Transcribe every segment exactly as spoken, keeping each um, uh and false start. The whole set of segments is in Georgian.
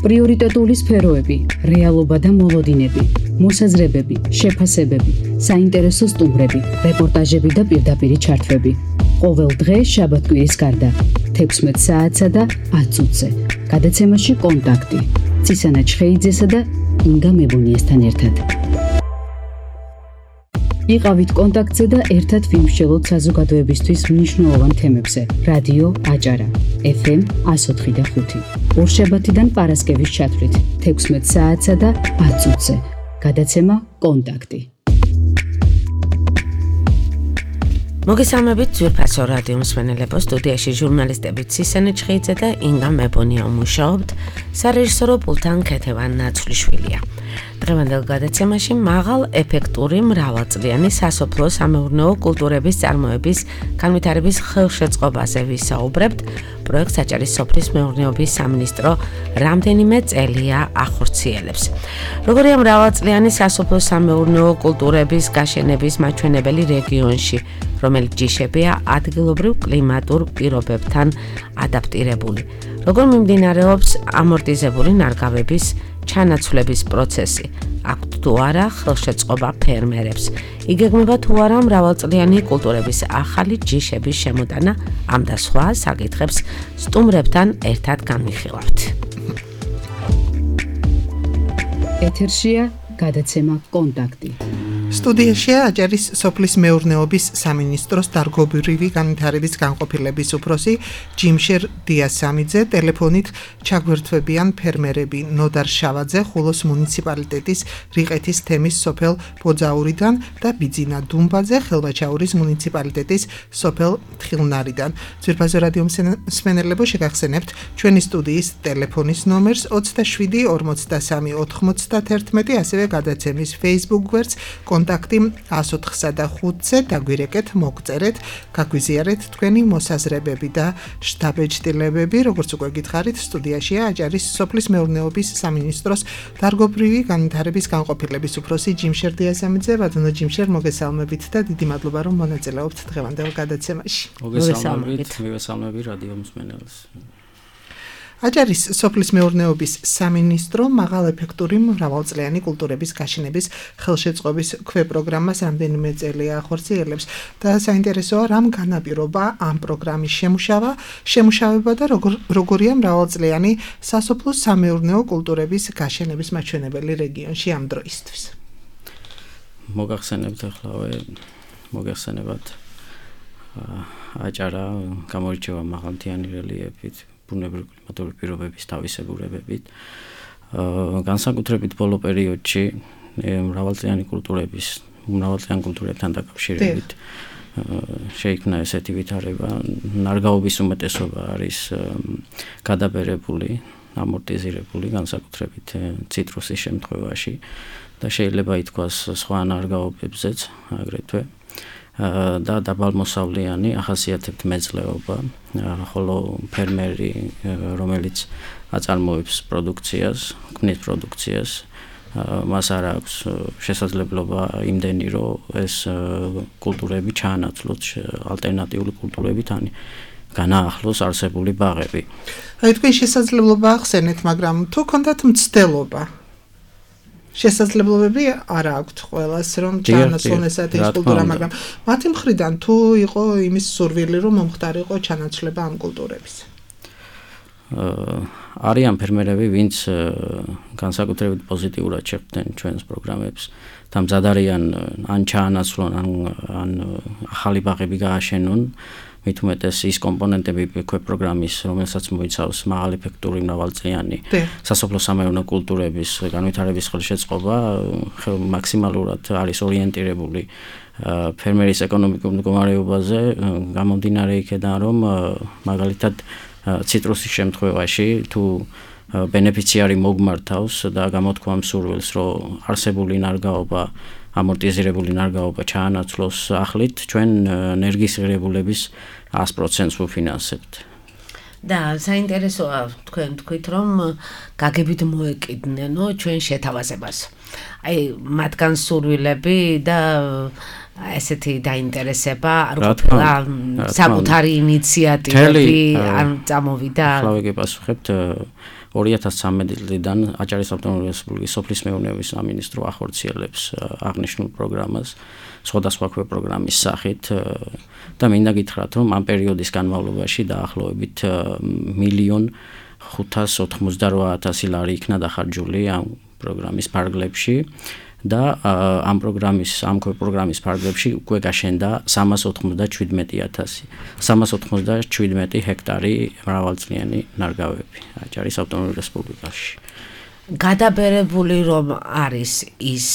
პრიორიტეტული სფეროები, რეალობა და მოლოდინები, მოსაზრებები, შეფასებები, საინტერესო სტუმრები, რეპორტაჟები და პირდაპირი ჩართვები. ყოველ დღე შაბათ-კვირის გარდა, თექვსმეტ საათსა და ათ წუთზე. გადაცემაში კონტაქტი. ცისანა ჩხეიძესა და ინგა მებუნიესთან ერთად. იყავით კონტაქტზე და ერთად ვიმსჯელოთ საზოგადოებისთვის მნიშვნელოვან თემებზე. რადიო აჭარა, ეფ ემ εκατო ოთხი და ხუთი. ორშაბათიდან პარასკევის ჩათვლით, თექვსმეტ საათსა და ათ წუთზე. გადაცემა კონტაქტი. მოგესალმებით ძვირფასო რადიო მსმენელებო, სტუდიაში ჟურნალისტები ცისანა ჩხეიძე და ინგა მებონია მუშაობთ, სარეჟისორო პულტთან ქეთევან ნაცვლიშვილია. დღევანდელ გადაცემაში მაღალ ეფექტური მრავალწლიანი სასოფლო სამეურნეო კულტურების წარმოების განვითარების ხელშეწყობაზე ვისაუბრებთ. პროექტს აჭარის სოფლის მეურნეობის სამინისტრო რამდენიმე წელია ახორციელებს. როგორია მრავალწლიანი სასოფლო სამეურნეო კულტურების გაშენების მაჩვენებელი რეგიონში, რომელიც ჯიშებია ადგილობრივ კლიმატურ პირობებთან ადაპტირებული. როგორ მიმდინარეობს ამორტიზებული ნარგავების ჩანაცვლების პროცესი, აქვთ თუ არა ხელშეწყობა ფერმერებს, იგეგმება თუ არა მრავალწლიანი კულტურების ახალი ჯიშების შემოტანა, ამ და სხვა საკითხებს სტუმრებთან ერთად განვიხილავთ. ეთერშია გადაცემა კონტაქტი. სტუდიაშია აჭარის სოფლის მეურნეობის სამინისტროს დარგობრივი განვითარების განყოფილების უფროსი ჯიმშერ დიასამიძე, ტელეფონით ჩაგვერთვებიან ფერმერები ნოდარ შავაძე ხულოს მუნიციპალიტეტის რიყეთის თემის სოფელ ბოძაურიდან და ბიძინა დუმბაძე ხელვაჩაურის მუნიციპალიტეტის სოფელ თხილნარიდან. ძვირფასო რადიო მსმენელებო, შეგახსენებთ ჩვენი სტუდიის ტელეფონის ნომერს ოცდაშვიდი ორმოცდასამი ოთხმოცდაათერთმეტი, ასევე გადაცემის Facebook გვერდს კონტაქტი εκατო ოთხსა და ხუთზე დაგვირეკეთ, მოგწერეთ, გაგვიზიარეთ თქვენი მოსაზრებები და შთაბეჭდილებები. როგორც უკვე გითხარით, სტუდიაშია აჭარის სოფლის მეურნეობის სამინისტროს დარგობრივი განვითარების განყოფილების უფროსი ჯიმშერ დიასამიძე. ბატონო ჯიმშერ, მოგესალმებით და დიდი მადლობა, რომ მონაწილეობთ დღევანდელ გადაცემაში. მოგესალმებით, მოგესალმები რადიო მსმენელს. აჭარის სოფლის მეურნეობის სამინისტრო მაღალეფექტური მრავალწლიანი კულტურების გაშენების ხელშეწყობის ქვეპროგრამას რამდენიმე წელია ახორციელებს და საინტერესოა, რამ განაპირობა ამ პროგრამის შემუშავა, შემუშავება და როგორ, როგორია მრავალწლიანი სასოფლო სამეურნეო კულტურების გაშენების მაჩვენებელი რეგიონში ამ დროისთვის. მოგახსენებთ ახლა მოგახსენებათ აჭარა გამორჩევა მაღალმთიანი რელიეფით, ბუნებრივი კლიმატური პირობების თავისებურებებით. განსაკუთრებით ბოლო პერიოდში მრავალწლიანი კულტურების, მრავალწლიან კულტურებთან დაკავშირებით შეიქმნა ესეთი ვითარება, ნარგავობის უმეტესობა არის გადაბერებული, ამორტიზირებული, განსაკუთრებით ციტრუსის შემთხვევაში და შეიძლება ითქვას სხვა ნარგავობებზეც აგრეთვე. და დაბალმოსავლიანი ახასიათებთ მეძლეობა, ხოლო ფერმერი, რომელიც აწარმოებს პროდუქციას, ქმნის პროდუქციას, მას არ აქვს შესაძლებლობა იმდენი, რომ ეს კულტურები ჩაანაცვლოს ალტერნატიული კულტურებით, ან განაახლოს არსებული ბაღები. აი, თქვენ შესაძლებლობა ახსენეთ, მაგრამ თუ ქონდათ მცდელობა, შესაძლებლობები არ აქვთ ყველას, რომ ჩაანაცვლონ ესეთი კულტურა, მაგრამ მათი მხრიდან თუ იყო იმის სურვილი, რომ მომხდარიყო ჩანაცვლება ამ კულტურების? არიან ფერმერები, ვინც განსაკუთრებით პოზიტიურად შეხვდნენ ჩვენს პროგრამებს და მზად არიან ან ჩაანაცვლონ, ან ან ახალი ბაღები გააშენონ. მით უმეტეს ის კომპონენტები ქვეპროგრამის, რომელსაც მოიცავს მაღალეფექტური მრავალწლიანი სასოფლო სამეურნეო კულტურების განვითარების ხელშეწყობა, მაქსიმალურად არის ორიენტირებული ფერმერის ეკონომიკურ მდგომარეობაზე, გამომდინარე იქედან, რომ მაგალითად ციტრუსის შემთხვევაში თუ ბენეფიციარი მოგმართავს და გამოთქვა მსურველს, რომ არსებული ნარგავობა, ამორტიზირებული ნარგავობა ჩაანაცვლოს ახლით, ჩვენ ენერგიის ღირებულების ას პროცენტს ვფინანსებთ. და საინტერესოა თქვენ თქვით, რომ გაგებით მოეკიდნენო ჩვენ შეთავაზებას. აი, მათგან სურვილები და ესეთი დაინტერესება არ ყოფილა საკუთარი ინიციატივები არ წამოვიდა. ახლა ვიგებასუხებთ ორი ათას ცხრამეტი წლიდან აჭარის ავტონომიური რესპუბლიკის სოფლის მეურნეობის სამინისტრო ახორციელებს აღნიშნულ პროგრამას სხვადასხვა პროგრამის სახით და მინდა გითხრათ, რომ ამ პერიოდის განმავლობაში დაახლოებით მილიონ ხუთას ოთხმოცდაოთხ ათასი ლარი იქნა დახარჯული ამ პროგრამის ფარგლებში და ამ პროგრამის ამ პროგრამის ფარგლებში უკვე გაშენდა სამას ოთხმოცდაშვიდმეტი ათასი სამას ოთხმოცდაშვიდმეტი ჰექტარი მრავალწლიანი ნარგავები აჭარის ავტონომურ რესპუბლიკაში. გადაბერებული რომ არის ის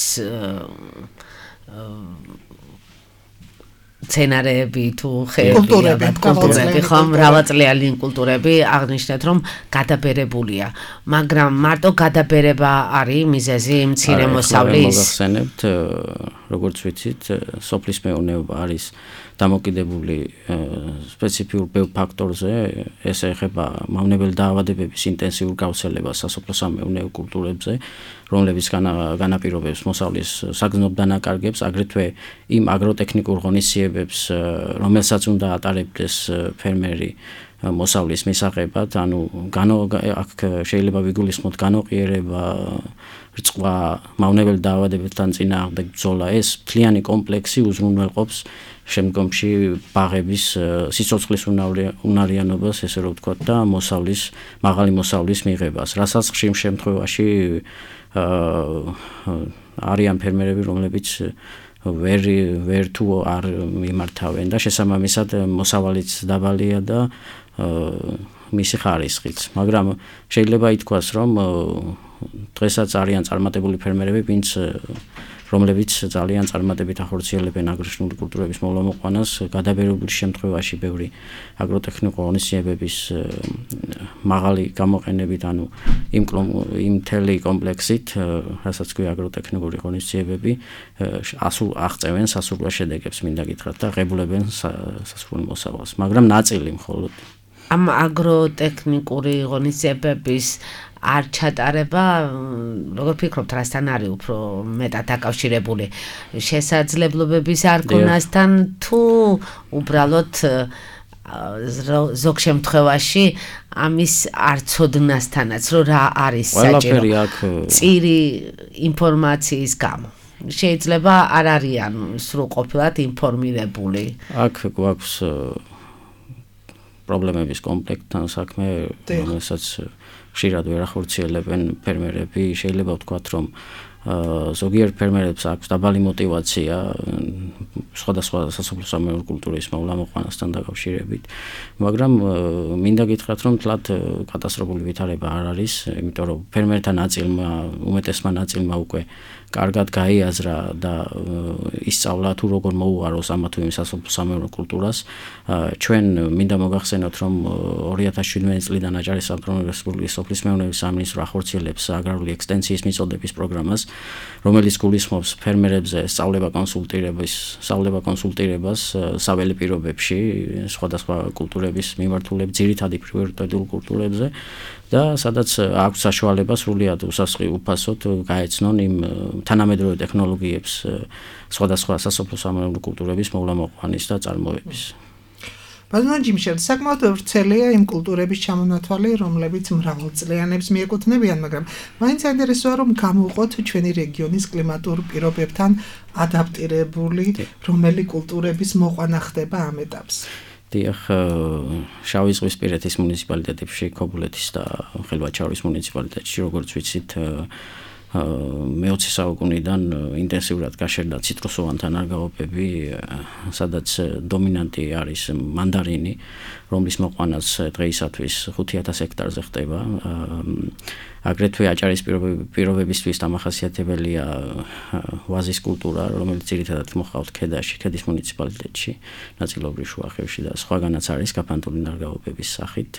სცენარეები თუ კულტურები, კულტურები, ხო, მრავალწლიანი კულტურები აღნიშნეთ, რომ გადაბერებულია, მაგრამ მარტო გადაბერება არის მიზეზი მცირე მოსავლის. მოგახსენებთ, როგორც ვიცით, სოფლის მეურნეობა არის დამოკიდებული სპეციფიურ ბევრ ფაქტორზე, ეს ეხება მავნებელი დაავადებების ინტენსიურ გავრცელებას სასოფლო-სამეურნეო კულტურებზე, რომლებიც განაპირობებს მოსავლის საგრძნობ დანაკარგებს, აგრეთვე იმ აგროტექნიკურ ღონისძიებებს, რომელსაც უნდა ატარებდეს ფერმერი მოსავლის მისაღებად, ანუ აქ შეიძლება ვიგულისხმოთ განოყიერება, რწყვა, მავნებელი დაავადებებთან წინააღმდეგ ბრძოლა, ეს მთლიანი კომპლექსი უზრუნველყოფს შემდგომში ბაღების სიცოცხლის უნარიანობას, ესე რომ ვთქვათ, და მოსავლის, მაღალი მოსავლის მიღებას, რასაც ხშირ შემთხვევაში არიან ფერმერები, რომლებიც ვერ ვერ თუ არ მიმართავენ და შესაბამისად მოსავალიც დაბალია და მისი ხარისხიც. მაგრამ შეიძლება ითქვას, რომ დღესაც არიან წარმატებული ფერმერები, ვინც რომლებიც ძალიან წარმატებით ახორციელებენ აგრეთვე კულტურების მოვლა-მოყვანას, გადაბერებული შემთხვევაში ბევრი აგროტექნიკურ ღონისძიებების მაღალი გამოყენებით, ანუ იმ იმ მთელი კომპლექსით, რასაც ქვია აგროტექნიკური ღონისძიებები, ასულ აღწევენ სასურველ შედეგებს, მინდა გითხრათ, და ღებულებენ სასურველ მოსავალს, მაგრამ ნაწილი მხოლოდ. ამ აგროტექნიკური ღონისძიებების არ ჩატარება, როგორ ფიქრობთ, რასთან არის უფრო მეტად დაკავშირებული? შესაძლებლობების არ ქონასთან თუ უბრალოდ ზოგ შემთხვევაში ამის არ ცოდნასთანაც, რომ რა არის საჭირო? წირი ინფორმაციის გამო. შეიძლება არ არიან სრულყოფილად ინფორმირებული. აქ გვაქვს პრობლემების კომპლექტთან საქმე, რომელსაც ხშირად ვერ ახორციელებენ ფერმერები. შეიძლება ვთქვათ, რომ ზოგიერთ ფერმერებს აქვს დაბალი мотиваცია სხვადასხვა სასოფლო-სამეურნეო კულტურის მოვლა-მოყვანასთან დაკავშირებით, მაგრამ მინდა გითხრათ, რომ თლად კატასტროფული ვითარება არ არის, იმიტომ რომ ფერმერთა ნაწილმა, უმეტესმა ნაწილმა უკვე კარგად გაიაზრა და ისწავლა თუ როგორ მოუღაროს ამა თუ იმ სასოფლო-სამეურნეო კულტურას. ჩვენ მინდა მოგახსენოთ, რომ ორი ათას შვიდმეტი წლიდან აჭარის ავტონომიური რესპუბლიკის სოფლის მეურნეობის სამინისტრო ახორციელებს აგრარული ექსტენსიის მიწოდების პროგრამას, რომელიც გულისხმობს ფერმერებზე სწავლება კონსულტირების, სწავლება კონსულტირებას საველე პირობებში, სხვადასხვა კულტურების მიმართულებით, ძირითადი პრიორიტეტულ კულტურებზე და სადაც აქვს საშუალება სრულიად უსასყი უფასოდ გაეცნონ იმ თანამედროვე ტექნოლოგიებს სხვადასხვა სასოფლო-სამეურნეო კულტურების მოვლა-მოყვანის და წარმოების. ბატონო ჯიმშელ, საკმაოდ ვრცელია იმ კულტურების ჩამონათვალი, რომლებიც მრავალწლიანებს მიეკუთვნებიან, მაგრამ მაინც საინტერესოა, რომ გამოვყოთ ჩვენი რეგიონის კლიმატურ პირობებთან ადაპტირებული რომელი კულტურების მოყვანა ხდება ამ ეტაპს. დიახ, შავი ზღვისპირეთის მუნიციპალიტეტებში, ქობულეთის და ხელვაჩაურის მუნიციპალიტეტში, როგორც ვიცით, მეოცე საუკუნიდან ინტენსიურად გაშერდა ციტრუსოვანთა ნარგავობები, სადაც დომინანტი არის მანდარინი, რომლის მოყვანაც დღეისათვის ხუთი ათას ჰექტარზე ხდება. აგრეთვე აჭარის პირობებისთვის დამახასიათებელია ვაზის კულტურა, რომელიც ძირითადად მოჰყავთ ქედაში, ქედის მუნიციპალიტეტში, ნაწილობრივ შუახევში და სხვაგანაც არის გაფანტული ნარგავობების სახით.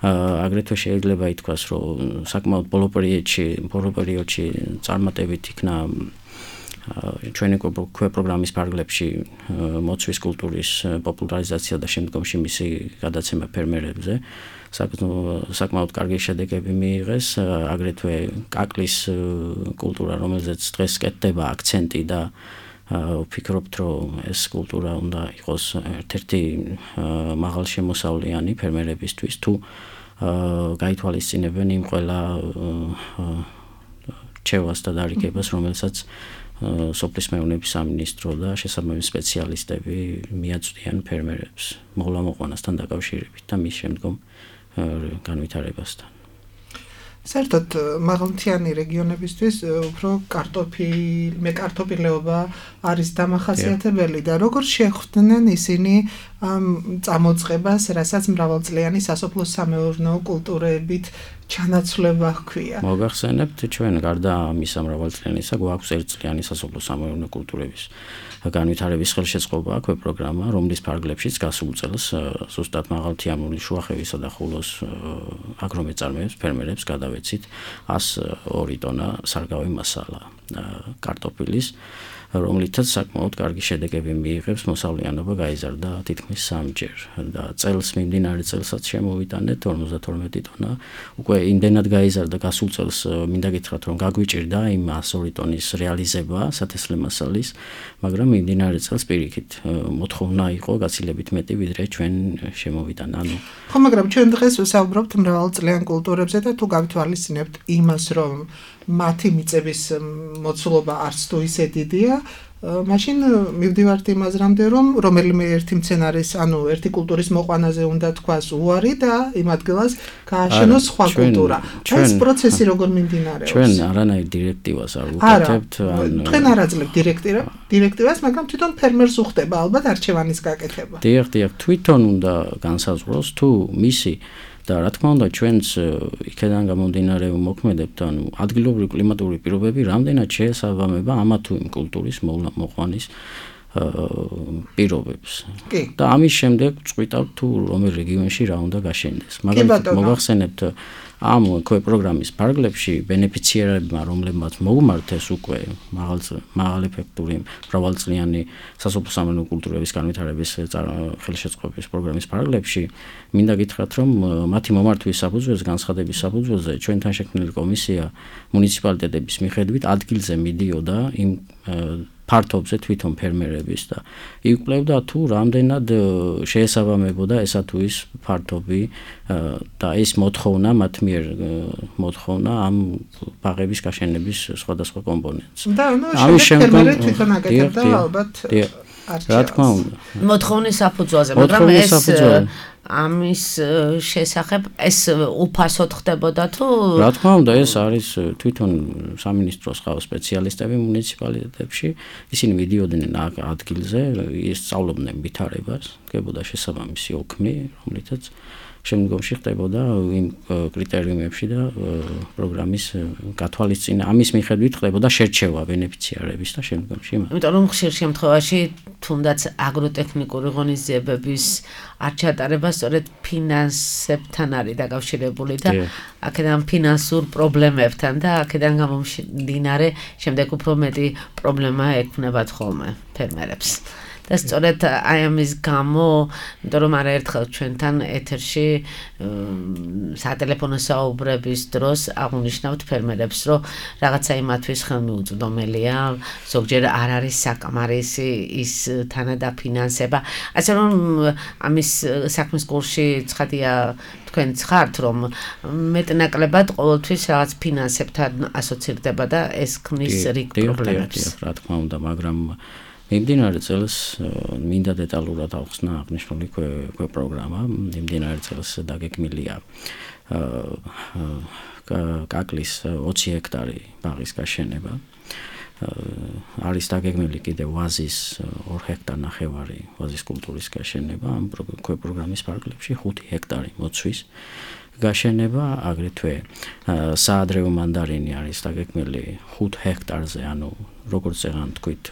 აგრეთვე შეიძლება ითქვას, რომ საკმაოდ ბოლო პერიოდში, ბოლო პერიოდში წარმატებით იქნა ჩვენი პროგრამის ფარგლებში მოცვის კულტურის პოპულარიზაცია და შემდგომში მისი გადაცემა ფერმერებზე. საკმაოდ კარგი შედეგები მიიღეს, აგრეთვე კაკლის კულტურა, რომელზეც დღეს კეთდება აქცენტი და ვფიქრობთ, რომ ეს კულტურა უნდა იყოს ერთ-ერთი მაღალშემოსავლიანი ფერმერებისთვის, თუ გაითვალისწინებენ იმ ყველა რჩევას და დარიგებას, რომელსაც სოფლის მეურნეობის სამინისტრო და შესაბამისი სპეციალისტები მიაწვდიან ფერმერებს მოვლამოყვანასთან დაკავშირებით და მის შემდგომ განვითარებასთან. საერთოდ მაღალმთიანი რეგიონებისთვის უფრო კარტოფილი, მე კარტოფილეობა არის დამახასიათებელი და როგორ შეხვდნენ ისინი ამ წამოწყებას, რასაც მრავალწლიანი სასოფლო-სამეურნეო კულტურებით ჩანაცვლება ჰქვია. მოგახსენებთ, ჩვენ გარდა ამისა მრავალწლიანისა გვაქვს ერთწლიანი სასოფლო-სამეურნეო კულტურების განვითარების ხელშეწყობა აქვე პროგრამა, რომლის ფარგლებშიც გასულ წელს ზუსტად მაღალმთიანური შუახევისა და ხულოს აგრომეწარმეებს, ფერმერებს გადავეცით ას ორი ტონა სარგავი მასალა კარტოფილის, რომლითაც საკმაოდ კარგი შედეგები მიიღებს, მოსავლიანობა გაიზარდა თითქმის სამჯერ და წელს მიმდინარე წელსაც შემოვიტანეთ ორმოცდათორმეტი ტონა. უკვე იმდენად გაიზარდა გასულ წელს, მინდა გითხრათ, რომ გაგვიჭირდა იმ ას ორი ტონის რეალიზება სათესლე მასალის, მაგრამ მიმდინარე წელს პირიქით მოთხოვნა იყო გაცილებით მეტი, ვიდრე ჩვენ შემოვიტანა. ანუ ხო, მაგრამ ჩვენ დღეს ვსაუბრობთ მრავალწლიან კულტურებზე და თუ გავთვალისწინებთ იმას, რომ მათი მიწების მოცულობა არც თუ ისე დიდია, მაშინ მივდივართ იმ აზრამდე, რომ რომელიმე ერთი მცენარის, ანუ ერთი კულტურის მოყვანაზე უნდა თქვას უარი და იმ ადგილას გააშენოს სხვა კულტურა. ეს პროცესი როგორ მიმდინარეობს? ჩვენ არანაირ დირექტივას არ ვუკეთებთ, ან თქვენ არ აძლევთ დირექტივას, მაგრამ თვითონ ფერმერს უხდება ალბათ არჩევანის გაკეთება. დიახ, დიახ, თვითონ უნდა განსაზღვროს თუ მისი და რა თქმა უნდა ჩვენც იქედან გამომდინარე ვმოქმედებთ, ანუ ადგილობრივი კლიმატური პირობები რამდენად შეესაბამება ამა თუ იმ კულტურის მოყვანის პირობებს. და ამის შემდეგ წვიტავთ თუ რომელ რეგიონში რა უნდა გაშენდეს. მაგალითად მოგახსენებთ ამ ქვე პროგრამის ფარგლებში ბენეფიციერებმა, რომლებმაც მოუმართეს უკვე მაღალეფექტური მრავალწლიანი სასოფლო-სამეურნეო კულტურების განვითარების ხელშეწყობის პროგრამის ფარგლებში, მინდა გითხრათ, რომ მათი მომართვის საფუძველზე, განცხადების საფუძველზე ჩვენთან შექმნილი კომისია მუნიციპალიტეტების მიხედვით ადგილზე მიდიოდა იმ ფართობზე თვითონ ფერმერების და იკვლევდა თუ რამდენად შეესაბამებოდა ესა თუ ის ფართობი და ეს მოთხოვნა მათ მიერ მოთხოვნა ამ ბაღების გაშენების სხვადასხვა კომპონენტს. და ანუ ფერმერები თვითონ აკეთებდა ალბათ რა თქმა უნდა მოთხოვნის საფუძველზე, მაგრამ ეს ამის შესახებ ეს უფასოდ ხდებოდა თუ რა თქმა უნდა ეს არის თვითონ სამინისტროს ხავს სპეციალისტები მუნიციპალიტეტებში, ისინი მიდიოდნენ ადგილზე, ისწავლობდნენ ვითარებას, დგებოდა შესაბამისი ოქმი, რომლითაც შემდგომში ხდებოდა იმ კრიტერიუმებში და პროგრამის გათვალისწინება, ამის მიხედვით ხდებოდა შერჩევა ბენეფიციარების და შემდგომში. იმიტომ რომ ხშირ შემთხვევაში თუნდაც აგროტექნიკური ღონისძიებების არ ჩატარება სწორედ ფინანსებთან არის დაკავშირებული და აქედან ფინანსურ პრობლემებთან და აქედან გამომდინარე შემდეგ უფრო მეტი პრობლემა ექმნებათ ხოლმე ფერმერებს. და სწორედ აი ამის გამო, იმიტომ რომ არაერთხელ ჩვენთან ეთერში სატელეფონო საუბრების დროს აღნიშნავთ ფერმერებს, რომ რაღაცა იმათთვის ხელმიუწვდომელია, ზოგჯერ არ არის საკმარისი ის თანადაფინანსება. ასე რომ ამის საქმის კურსში ცხადია თქვენ ხართ, რომ მეტნაკლებად ყოველთვის რაღაც ფინანსებთან ასოცირდება და ეს ქმნის რიგ პრობლემებს. რა თქმა უნდა, მაგრამ მიმდინარე წელს მინდა დეტალურად ავხსნა აღნიშნული ქვე პროგრამა. მიმდინარე წელს დაგეგმილია კაკლის ოცი ჰექტარი ბაღის გაშენება. არის დაგეგმილი კიდევ ვაზის ორი ჰექტარ ნახევარი ვაზის კულტურის გაშენება. ამ ქვე პროგრამის ფარგლებში ხუთი ჰექტარი მოცვის გაშენება, აგრეთვე საადრევო მანდარინი არის დაგეგმილი ხუთ ჰექტარზე, ანუ როგორც ეგან თქვით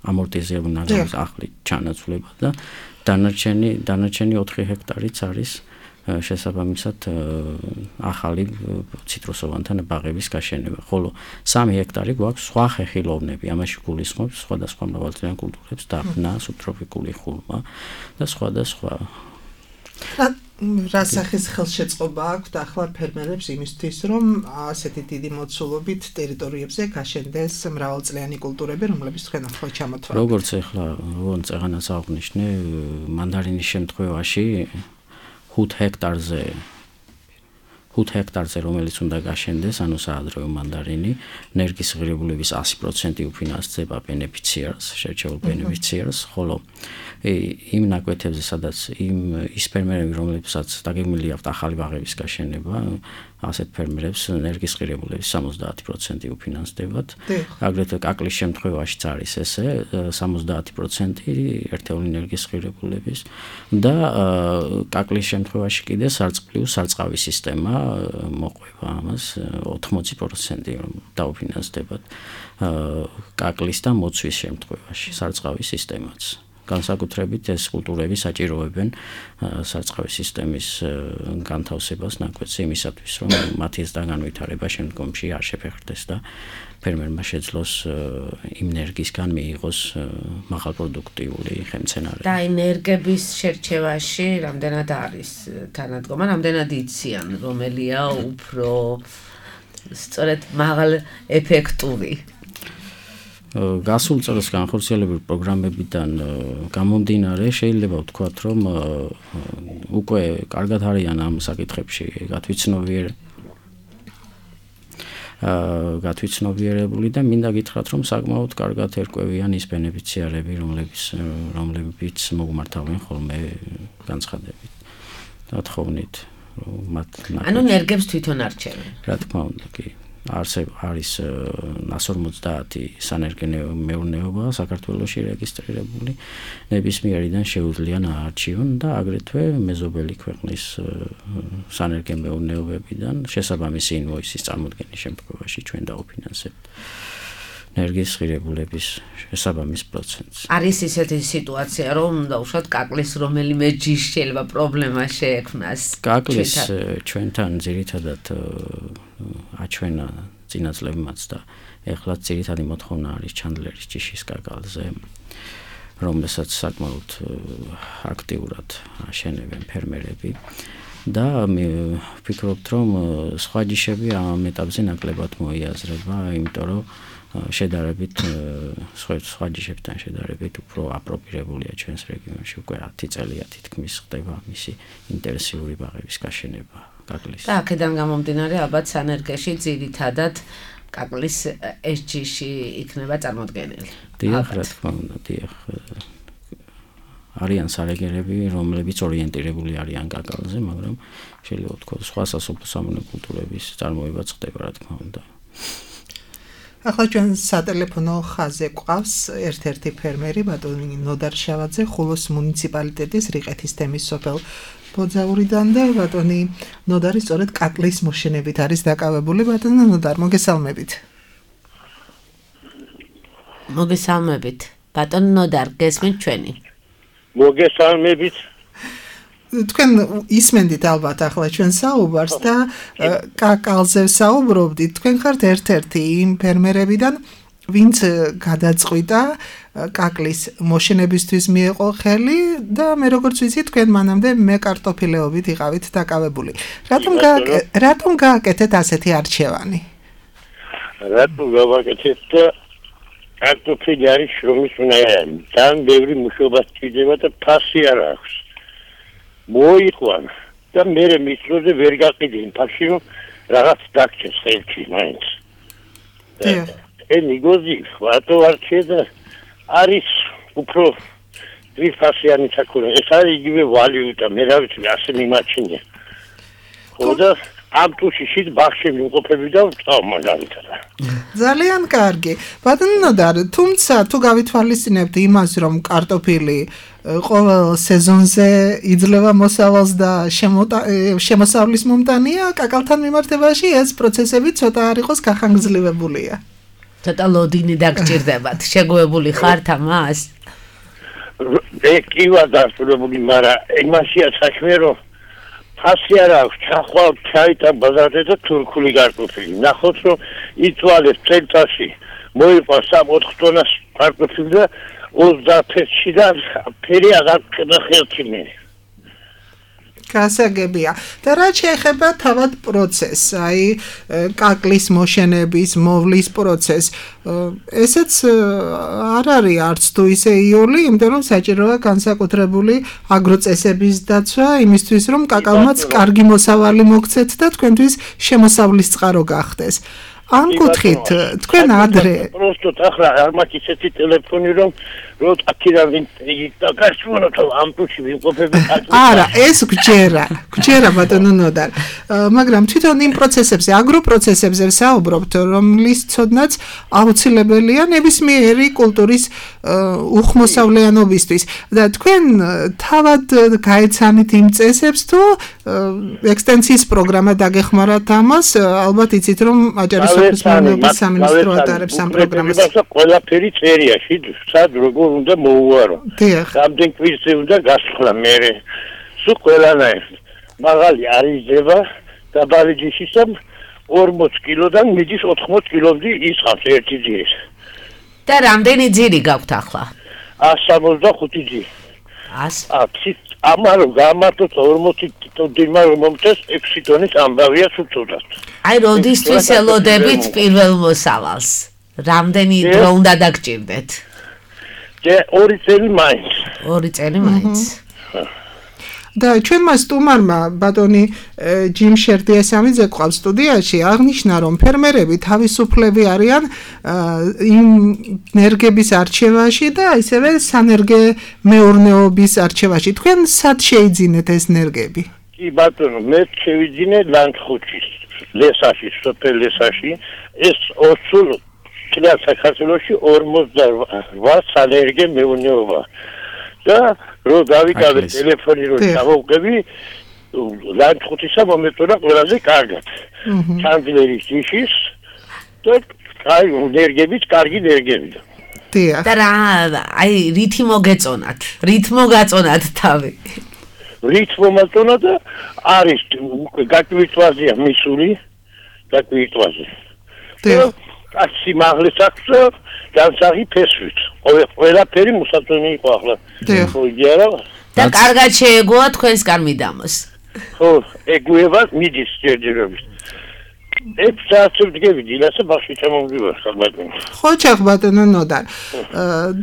ამორტიზებული ნაგაზის ახლით ჩანაცვლება და დანარჩენი დანარჩენი ოთხი ჰექტარიც არის შესაბამისად ახალი ციტრუსოვანთა ბაღების გაშენება, ხოლო სამი ჰექტარი გვაქვს სხვა ხეხილოვნები, ამაში გულისხმობს სხვადასხვა მრავალწლიან კულტურებს, დაფნა, სუბტროპიკული ხურმა და სხვა და სხვა. რა სახის ხელშეწყობა აქვს ახლა ფერმერებს იმისთვის, რომ ასეთი დიდი მოცულობით ტერიტორიებზე გაშენდეს მრავალწლიანი კულტურები, რომლებიც თქვენ ახლა ჩამოთვალეთ. როგორც ახლა როგორც წეგანაც აღნიშნე, მანდარინის შემთხვევაში ხუთ ჰექტარზე ხუთ ჰექტარზე, რომელიც უნდა გაშენდეს, ანუ საადრეო მანდარინი, ენერგიის ღირებულების ასი პროცენტი უფინანსდება ბენეფიციარს, შერჩეულ ბენეფიციარს, ხოლო იმ ნაკვეთებზე, სადაც იმ ის ფერმერები, რომლებსაც დაგეგმილი აქვთ ახალი ბაღების გაშენება, ასეთ ფერმერებს ენერგიის ღირებულების სამოცდაათი პროცენტი უფინანსდებათ. აგრეთვე კაკლის შემთხვევაშიც არის ესე, სამოცდაათი პროცენტი ერთეული ენერგიის ღირებულების და კაკლის შემთხვევაში კიდე სარწყავი სარწყავი სისტემა მოყვება ამას ოთხმოცი პროცენტი დაუფინანსდებათ კაკლის და მოცვის შემთხვევაში სარწყავი სისტემაც. განსაკუთრებით ეს კულტურები საჭიროებენ სარწყავი სისტემის განთავსებას ნაკვეთზე იმისათვის, რომ მათი განვითარება შემდგომში არ შეფერხდეს და ფერმერმა შეძლოს იმ ენერგიისგან მიიღოს მაღალპროდუქტიული ხემცენარები. და ენერგების შერჩევაში რამდენად არის თანადგომა, რამდენად იციან, რომელია უფრო სწორედ მაღალ ეფექტური? გასულ წელს განხორციელებული პროგრამებიდან გამომდინარე შეიძლება ვთქვათ, რომ უკვე კარგად არიან ამ საკითხებში გათვითცნობიერებული გათვითცნობიერებული და მინდა გითხრათ, რომ საკმაოდ კარგად ერკვევიან ის ბენეფიციარები, რომლებიც რომლებიც მოგმართავენ ხოლმე განცხადებით და თხოვნით, რომ მათ ანუ ენერგებს თვითონ არჩევენ. რა თქმა უნდა, კი. არსებ არის ორმოცდაათი სანერგენეო მეურნეობა საქართველოში რეგისტრირებული, ნებისმიერიდან შეუძლია აარჩიონ და აგრეთვე მეზობელი ქვეყნის სანერგენო მეურნეობებიდან შესაბამისი ინვოისის წარმოდგენის შემთხვევაში ჩვენ დაუფინანსებთ ენერგიის ღირებულების შესაბამის პროცენტს. არის ისეთი სიტუაცია, რომ უნდა უშოთ კაკლის რომელიმე ჯიშ შეიძლება პრობლემა შეექმნას. კაკლის ჩვენთან ძირითადად აჩვენა წინა წლებმაც და ეხლა ძირითადი მოთხოვნა არის ჩანდლერის ჯიშის კაკალზე, რომელსაც საკმაოდ აქტიურად აშენებენ ფერმერები და მე ვფიქრობთ, რომ სხვა ჯიშები ამ ეტაპზე ნაკლებად მოიაზრება, იმიტომ რომ შედარებით სხვა ჯიშებთან შედარებით უფრო აპროპირებულია ჩვენს რეგიონში, უკვე ათი წელია თითქმის ხდება მისი ინტენსიური ბაღების გაშენება კაკლის. და აქედან გამომდინარე ალბათ სანერგეში ძირითადად კაკლის ეს ჯიში იქნება წარმოდგენილი. დიახ, რა თქმა უნდა, დიახ. არიან სარეგერები, რომლებიც ორიენტირებული არიან კაკალზე, მაგრამ შეიძლება ვთქვათ, სხვა სასოფლო სამონო კულტურების წარმოებაც ხდება, რა თქმა უნდა. ახლა ჩვენ სატელეფონო ხაზზე გვყავს ერთ-ერთი ფერმერი, ბატონი ნოდარ შავაძე, ხულოს მუნიციპალიტეტის რიყეთის თემის სოფელ ბოძაურიდან და ბატონი ნოდარი სწორედ კაკლის მოშენებით არის დაკავებული. ბატონი ნოდარ, მოგესალმებით. მოგესალმებით. ბატონი ნოდარ, გესმით ჩვენი? მოგესალმებით. თქვენ ისმენდით ალბათ ახლა ჩვენ საუბარს და კაკალზე საუბრობდით. თქვენ ხართ ერთ-ერთი იმ ფერმერებიდან, ვინც გადაწყვიტა კაკლის მოშენებისთვის მიეყო ხელი და მე როგორც ვიცი, თქვენ მანამდე მე კარტოფილეობით იყავით დაკავებული. რატომ რატომ გააკეთეთ ასეთი არჩევანი? რატომ გავაკეთეთ და კარტოფილი არის შრომის უნარი. თან ბევრი მუშაობა სჭირდება და ფასი არ აქვს. მოიყვან და მე მიწროზე ვერ გაყიდი იმ ფასში, რომ რაღაც დაგჭეს ხელში მაინც. ენი გოზი ვატო არჩე და არის უფრო რიფასიანი საკურა. ეს არის იგივე ვალიუტა, მე რა ვიცი, ასე მიმაჩნია. ხო და ამ თუშიშით ბახში მიმყოფები და ვწავ მაგალითად. ძალიან კარგი. ბატონო ნოდარ, თუმცა თუ გავითვალისწინებთ იმას, რომ კარტოფილი ყოველ სეზონზე იძლევა მოსავალს და შემოსავლის მომტანია, კაკალთან მიმართებაში ეს პროცესები ცოტა არ იყოს გახანგრძლივებულია. ცოტა ლოდინი დაგჭირდებათ. შეგუებული ხართ ამას? მე კი ვარ დასრულებული, მაგრამ იმაშია საქმე, რომ ფასი არ აქვს, ჩახვალ ჩაიტა ბაზარზე და თურქული კარტოფილი. ნახოთ, რომ იცვალეს წელიწადში მოიყვა სამოთხ ტონას კარტოფილი და ოცდაათში და ფერი აღარ ხდება ხელში მე. გასაგებია. და რა შეეხება თავად პროცესს, აი კაკლის მოშენების, მოვლის პროცესს, ესეც არ არის არც თუ ისე იული, იმიტომ რომ საჭიროა განსაკუთრებული აგროწესების დაცვა, იმისთვის რომ კაკალმაც კარგი მოსავალი მოგცეთ და თქვენთვის შემოსავლის წყარო გახდეს. ამ კუთხით თქვენ ადრე პროსტოთ ახლა არ მაქვს ისეთი ტელეფონი რომ რომ აქედან იგი გასწვენო თუ ამ თუში ვიმყოფები არა ეს გჯერა გჯერა ბატონო ნოდარ მაგრამ თვითონ იმ პროცესებზე აგროპროცესებზე საუბრობთ რომლის ცოდნაც აუცილებელია ნებისმიერი კულტურის უხმოსავლიანობისთვის და თქვენ თავად გაეცანით იმ წესებს თუ ექსტენსიის პროგრამა დაგეხმარათ ამას ალბათ იცით რომ აჯარის სოფლის მეურნეობის სამინისტრო ატარებს ამ პროგრამას ყველაფერი წერიაში სად როგორ უნდა მოუარო რამდენ კვირზე უნდა გასვლა მერე სულ ყველანაირად მაღალი არ იძება დაბალი ჯიშისამ ორმოც კილოდან მიდის ოთხმოც კილომდე ისხავს ერთი ძირის და რამდენი ძირი გაქვთ ახლა ას სამოცდახუთი ძირი ას ამარო გამართოთ ორმოცი ტონი რომ მომწეს ექვსი ტონის ამბავია სუწოდათ აი როდისთვის ელოდებით პირველ მოსავალს რამდენი დრო უნდა დაგჭირდეთ და ორი წელი მაინც ორი წელი მაინც და ჩვენმა სტუმარმა ბატონი ჯიმ შერდიასამიძე ყავს სტუდიაში აღნიშნა რომ ფერმერები თავისუფლები არიან იმ ენერგების არჩევაში და ისევე სანერგე მეურნეობის არჩევაში თქვენ სად შეიძინეთ ეს ენერგები კი ბატონო მე შევიძინე ლანჩხუთის ლესაში სოფელ ლესაში ეს ოცულ წელს საქართველოში ორმოცდაოთხ სანერგე მეურნეობა და რო დავიკავე ტელეფონი რო ჩავუყები ლანჩხუთისა მომეწონა ყველაზე კარგად ჩანდილერის ჯიშის და აი ენერგების კარგი ენერგები და რა აი რითი მოგეწონათ რით მოგაწონათ თავი რით მომაწონა და არის გაკვირტვაზეა მისული გაკვირტვაზე და ასი მაღლის აქვს განსაღი ფესვით ყველაფერი მოსაწონი იყო ახლა ხო იგია და კარგად შეეგოა თქვენს კარმიდამოს ხო ეგუება მიდის ჯერჯერობით ექვს საათი ვდგები დილასა ბაღში ჩამომდივარ ხალბატონო ხო ჩახბატონო ნოდარ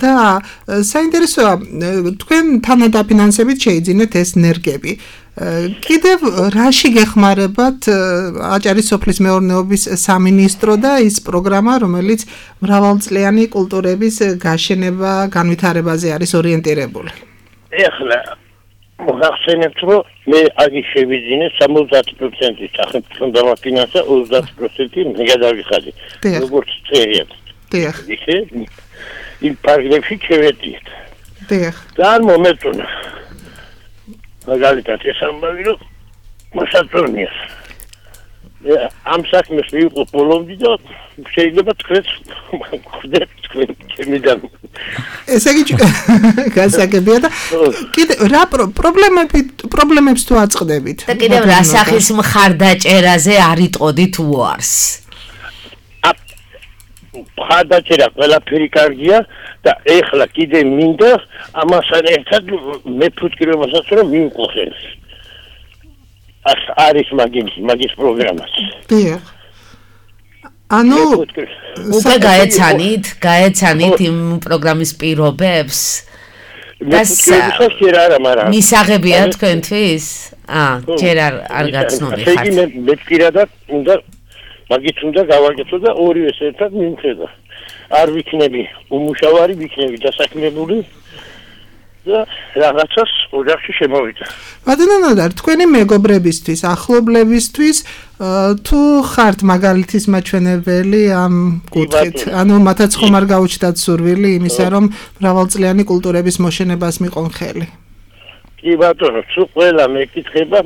და საინტერესოა თქვენ თანადაფინანსებით შეიძინეთ ეს ენერგები კიდევ რაში გეხმარებათ აჭარის სოფლის მეურნეობის სამინისტრო და ის პროგრამა რომელიც მრავალწლიანი კულტურების გაშენება განვითარებაზე არის ორიენტირებული ეხლა მოახსენებთ რომ მე აგი შევიძინე სამოცდაათი პროცენტი სახელმწიფო დამაფინანსა ოცდაათი პროცენტი მე გადავიხადე როგორც წერია დიახ ისე იმ პარგლებში შევედით დიახ და მომეწონა მაგალითად ეს ამბავი რომ მოსაწონია ამ საქმეს ვიყო ბოლომდე და შეიძლება თქვენს ხვდეთ თქვენ ჩემიდან ესე იგი გასაგებია და კიდე რა პრობლემები პრობლემებს თუ აწყდებით და კიდევ რა სახის მხარდაჭერაზე არიტყოდით უარს მხარდაჭერა ყველაფერი კარგია და ეხლა კიდე მინდა ამასთან ერთად მე ფუტკრებასაც რომ მივყოხეს ას არის მაგის მაგის პროგრამას დიახ ანუ უკვე გაეცანით გაეცანით იმ პროგრამის პირობებს და შეიძლება არა მაგრამ მისაღებია თქვენთვის აა ჯერ არ არ გაცნობი ხართ შეიძლება მე პირადად უნდა მაგით უნდა გავაკეთო და ორივეს ერთად მიმხედა არ ვიქნები უმუშავარი ვიქნები დასაქმებული და რაღაცას ოჯახში შემოვიდა. ბატონო ნოდარ, თქვენი მეგობრებისთვის, ახლობლებისთვის თუ ხართ მაგალითის მაჩვენებელი ამ კუთხით, ანუ მათაც ხომ არ გაუჩნდათ სურვილი იმისა, რომ მრავალწლიანი კულტურების მოშენებას მიყონ ხელი? კი ბატონო, თუ ყველა მეკითხება,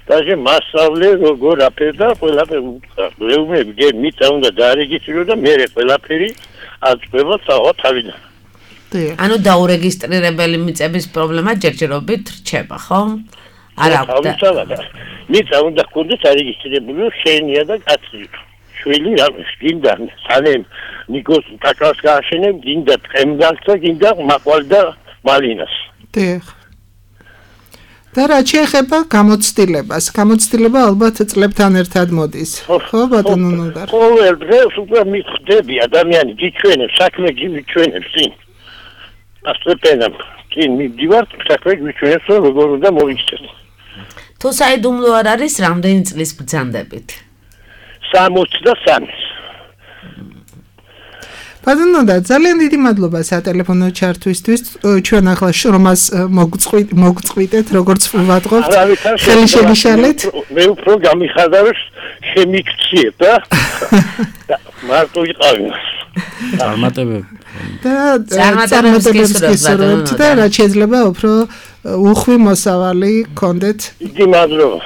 დაჟე მასწავლე როგორ აფერდა ყველაფერი უთხრა. ლეუმები გემით უნდა დაარეგისტრო და მე ყველაფერი აწვევა თავიდან. ანუ დაურეგისტრირებელი მიწების პრობლემა ჯერჯერობით რჩება, ხო? არ აქვს და მიწა უნდა გქონდეს არეგისტრირებული, შენია და კაცი. შვილი რამეს გინდა, სანემ ნიკოს კაკას გააშენებ, გინდა თხემგალს და გინდა მაყვალ და მალინას. დიახ. და რა შეეხება გამოცდილებას? გამოცდილება ალბათ წლებთან ერთად მოდის. ხო, ბატონო ნოდარ. ყოველ დღეს უკვე მიხდები ადამიანი გიჩვენებს, საქმე გიჩვენებს წინ. ასწორებენ, წინ მივდივარ, საქმე გიჩვენებს, როგორ უნდა მოიქცეთ. თუ საიდუმლო არ არის, რამდენი წლის ბრძანდებით? სამოცი და სამი. ბატონო და ძალიან დიდი მადლობა სატელეფონო ჩართვისთვის. ჩვენ ახლა შრომას მოგწყვიტეთ, როგორც ვატყობთ. ხელი შეგიშალეთ. მე უფრო გამიხარდავს შემიქციებ და მარტო იყავი. წარმატებები. და წარმატებებს გისურვებთ და რაც შეიძლება უფრო უხვი მოსავალი გქონდეთ. დიდი მადლობა.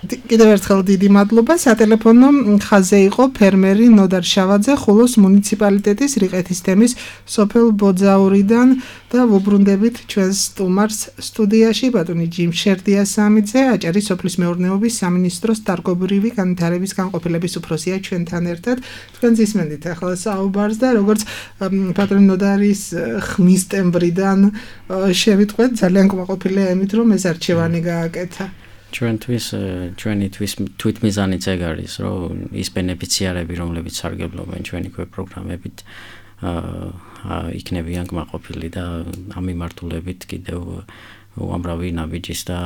კიდევ ერთხელ დიდი მადლობა. სატელეფონო ხაზზე იყო ფერმერი ნოდარ შავაძე ხულოს მუნიციპალიტეტის რიყეთის თემის სოფელ ბოძაურიდან და ვუბრუნდებით ჩვენს სტუმარს სტუდიაში ბატონი ჯიმშერ დიასამიძე, აჭარის სოფლის მეურნეობის სამინისტროს დარგობრივი განვითარების განყოფილების უფროსია ჩვენთან ერთად. თქვენ ისმენდით ახლა საუბარს და როგორც ბატონი ნოდარის ხმის ტემბრიდან შევიტყვეთ, ძალიან კმაყოფილია ემით, რომ ეს არჩევანი გააკეთა. ჩვენთვის ჩვენთვის თვითმიზანიც ეგ არის, რომ ის ბენეფიციარები, რომლებიც სარგებლობენ ჩვენი პროგრამებით, აა იქნებიან კმაყოფილი და ამ მიმართულებით კიდევ უამრავი ნაბიჯის და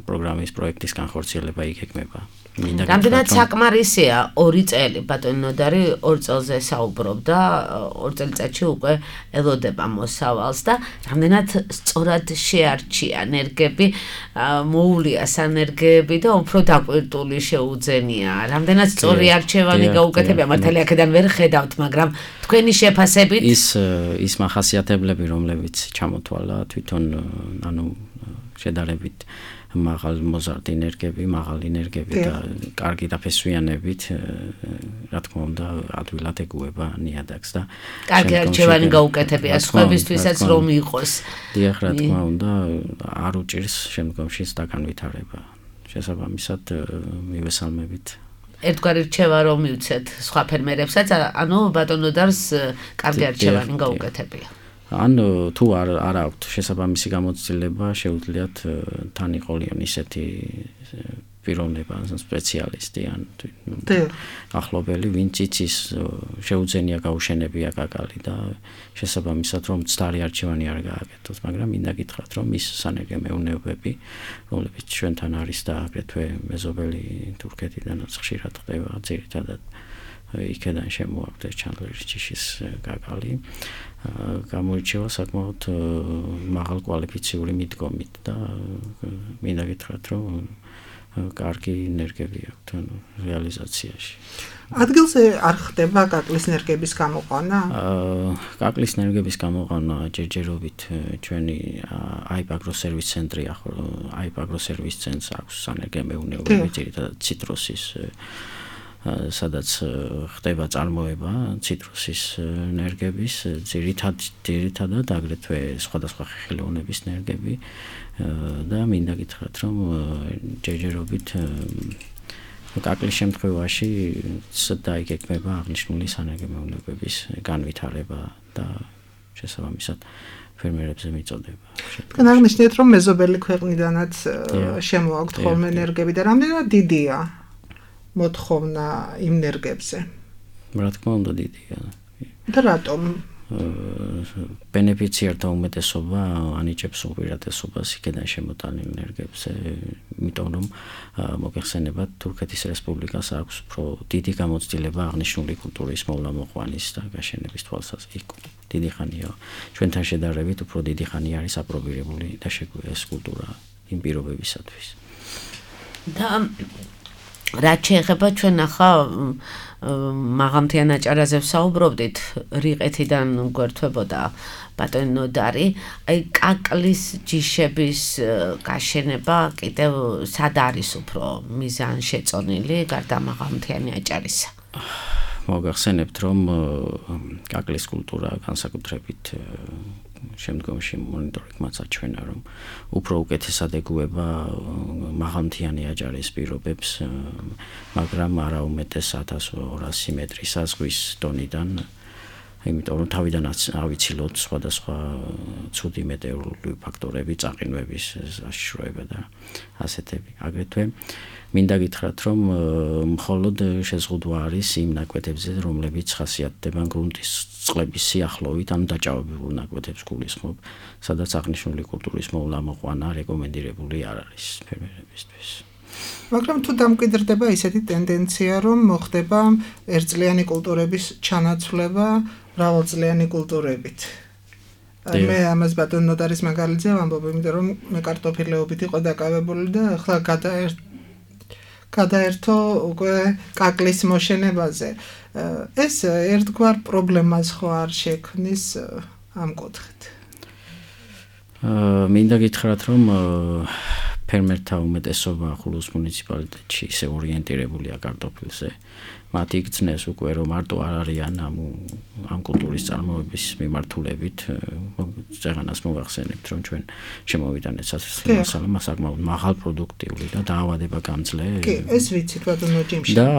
პროგრამის პროექტის განხორციელება იქნება. რამდენად საკმარისია ორი წელი ბატონი ნოდარი ორ წელზე საუბრობდა, ორ წელიწადში უკვე ელოდება მოსავალს და რამდენად სწორად შეარჩია ენერგები, მოუვლია სანერგები და უფრო დაკვირტული შეუძენია. რამდენად სწორი არჩევანი გაუკეთებია, მართალია აქედან ვერ ხედავთ, მაგრამ თქვენი შეფასებით ის ის მახასიათებლები, რომლებიც ჩამოთვალა თვითონ ანუ შედარებით მაღალ მოზარდი ენერგები, მაღალი ენერგები და კარგი დაფესვიანებით, რა თქმა უნდა, ადვილად ეგუება ნიადაგს და კარგი არჩევანი გაუკეთებია სხვებისთვისაც რომ იყოს. დიახ, რა თქმა უნდა, არ უჭირს შემდგომში დაგანვითარება. შესაბამისად მივესალმებით. ერთგვარი რჩევა რომ მივცეთ სხვა ფერმერებსაც, ანუ ბატონ ნოდარს კარგი არჩევანი გაუკეთებია. ან თუ არ არ აქვთ შესაბამისი გამოცდილება, შეუძლიათ თან იყოლიონ ისეთი პიროვნება, სპეციალისტი ან ახლობელი, ვინც იცის შეუძენია გაუშენებია კაკალი და შესაბამისად რომ ცდარი არჩევანი არ გააკეთოს, მაგრამ მინდა გითხრათ, რომ ის სანერგე მეურნეობები, რომლებიც ჩვენთან არის და აგრეთვე მეზობელი თურქეთიდანაც ხშირად ხდება, ძირითადად იქედან შემოაქვთ ჩანდლერის ჯიშის კაკალი. გამოირჩევა საკმაოდ მაღალ კვალიფიციური მიდგომით და მინდა გითხრათ, რომ კარგი ენერგები აქვთ რეალიზაციაში. ადგილზე არ ხდება კაკლის ენერგების გამოყვანა? კაკლის ენერგების გამოყვანა ჯერჯერობით ჩვენი აიპაგრო სერვის ცენტრი აიპაგრო სერვის ცენტრს აქვს სანერგე მეურნეობები, ძირითადად ციტრუსის სადაც ხდება წარმოება ციტრუსის ენერგების, ძირითად ძირითადად აგრეთვე სხვადასხვა ხილოვნების ენერგები და მინდა გითხრათ, რომ ჯერჯერობით კაკლის შემთხვევაში დაიგეგმება აღნიშნული სანერგე მეურნეობების განვითარება და შესაბამისად ფერმერებზე მიწოდება. თქვენ აღნიშნეთ, რომ მეზობელი ქვეყნიდანაც შემოაქვთ ხოლმე ენერგები და რამდენად დიდია მოთხოვნა იმ ენერგებზე? რა თქმა უნდა დიდია. და რატომ? ბენეფიციართა უმეტესობა ანიჭებს უპირატესობას იქედან შემოტანილ ენერგებზე, იმიტომ რომ მოგეხსენებათ, თურქეთის რესპუბლიკას აქვს უფრო დიდი გამოცდილება აღნიშნული კულტურის მოვლა-მოყვანის და გაშენების თვალსაზრისით. დიდი ხანია, ჩვენთან შედარებით უფრო დიდი ხანი არის აპრობირებული და ეს კულტურა იმ პირობებისათვის. და რაც შეეხება ჩვენ ახლა მაღალმთიან აჭარაზე ვსაუბრობდით, რიყეთიდან გვერდთვებოდა ბატონი ნოდარი, აი კაკლის ჯიშების გაშენება კიდევ სად არის უფრო მიზანშეწონილი გარდა მაღალმთიანი აჭარისა? მოგახსენებთ, რომ კაკლის კულტურა განსაკუთრებით შემდგომში მონიტორინგმაც აჩვენა, რომ უფრო უკეთესად ეგუება მაღალმთიანი აჭარის პირობებს, მაგრამ არა უმეტეს ათას ორასი მეტრის საზღვის დონიდან იმიტომ რომ თავიდანაც ავიცილოთ სხვადასხვა ცუდი მეტეოროლოგიური ფაქტორები, წაყინვების საშიშროება და ასეთები. აგრეთვე მინდა გითხრათ, რომ მხოლოდ შეზღუდვა არის იმ ნაკვეთებზე, რომლებიც ხასიათდება გრუნტის წყლების სიახლოვით, ან დაჭაობებულ ნაკვეთებს გულისხმობ, სადაც აღნიშნული კულტურის მოვლა მოყვანა რეკომენდირებული არ არის ფერმერებისთვის. მაგრამ თუ დამკვიდრდება ისეთი ტენდენცია, რომ მოხდება ერთწლიანი კულტურების ჩანაცვლება მრავალწლიანი კულტურებით. მე ამას ბატონ ნოტარის მაგალითზე ვამბობ, იმიტომ რომ მე კარტოფილეობით იყო დაკავებული და ახლა გადაერთ გადაერთო უკვე კაკლის მოშენებაზე. ეს ერთგვარ პრობლემას ხო არ შექმნის ამ კუთხით? მინდა გითხრათ, რომ ფერმერთა უმეტესობა ხულოს მუნიციპალიტეტში ისე ორიენტირებულია კარტოფილზე. მათი გრძნეს უკვე რომ მარტო არ არიან ამ ამ კულტურის წარმოების მიმართულებით, ზეგანას მოვახსენებთ, რომ ჩვენ შემოვიდანეთ სასწრაფო მასალა საკმაოდ მაღალ პროდუქტიული და დაავადება გამძლე. კი, ეს ვიცით ბატონო ჯიმში. და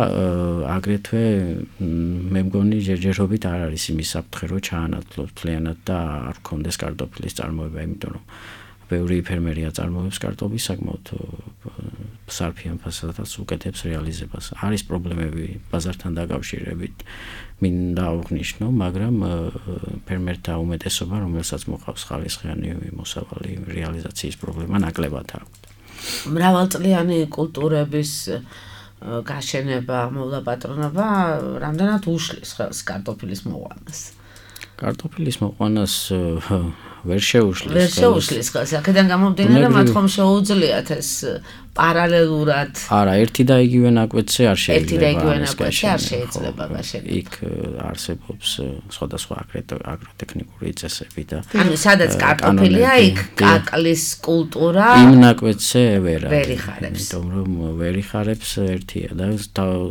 აგრეთვე მე მგონი ჯერჯერობით არ არის იმის საფრთხე, რომ ჩაანაცვლოს მთლიანად და არ გქონდეს კარტოფილის წარმოება, იმიტომ რომ ბევრი ფერმერია წარმოებს კარტოფილს საკმაოდ სარფიან ფასადაც უკეთებს რეალიზებას. არის პრობლემები ბაზართან დაკავშირებით, მინდა აღვნიშნო, მაგრამ ფერმერთა უმეტესობა, რომელსაც მოყავს ხალისხიანი მოსავალი რეალიზაციის პრობლემა ნაკლებად აქვს. მრავალწლიანი კულტურების გაშენება, მოვლა პატრონობა, რამდენად უშლის ხელს კარტოფილის მოყვანას? კარტოფილის მოყვანას ვერ შეუშლის. ვერ შეუშლის ხელს. აქედან გამომდინარე, მათ ხომ შეუძლიათ ეს პარალელურად. არა, ერთი და იგივე ნაკვეთზე არ შეიძლება. ერთი და იგივე ნაკვეთზე არ შეიძლება გაშენება. იქ არსებობს სხვადასხვა აგროტექნიკური წესები და ანუ სადაც კარტოფილია, იქ კაკლის კულტურა იმ ნაკვეთზე ვერ არის. ვერ იხარებს. იმიტომ რომ ვერ იხარებს ერთია და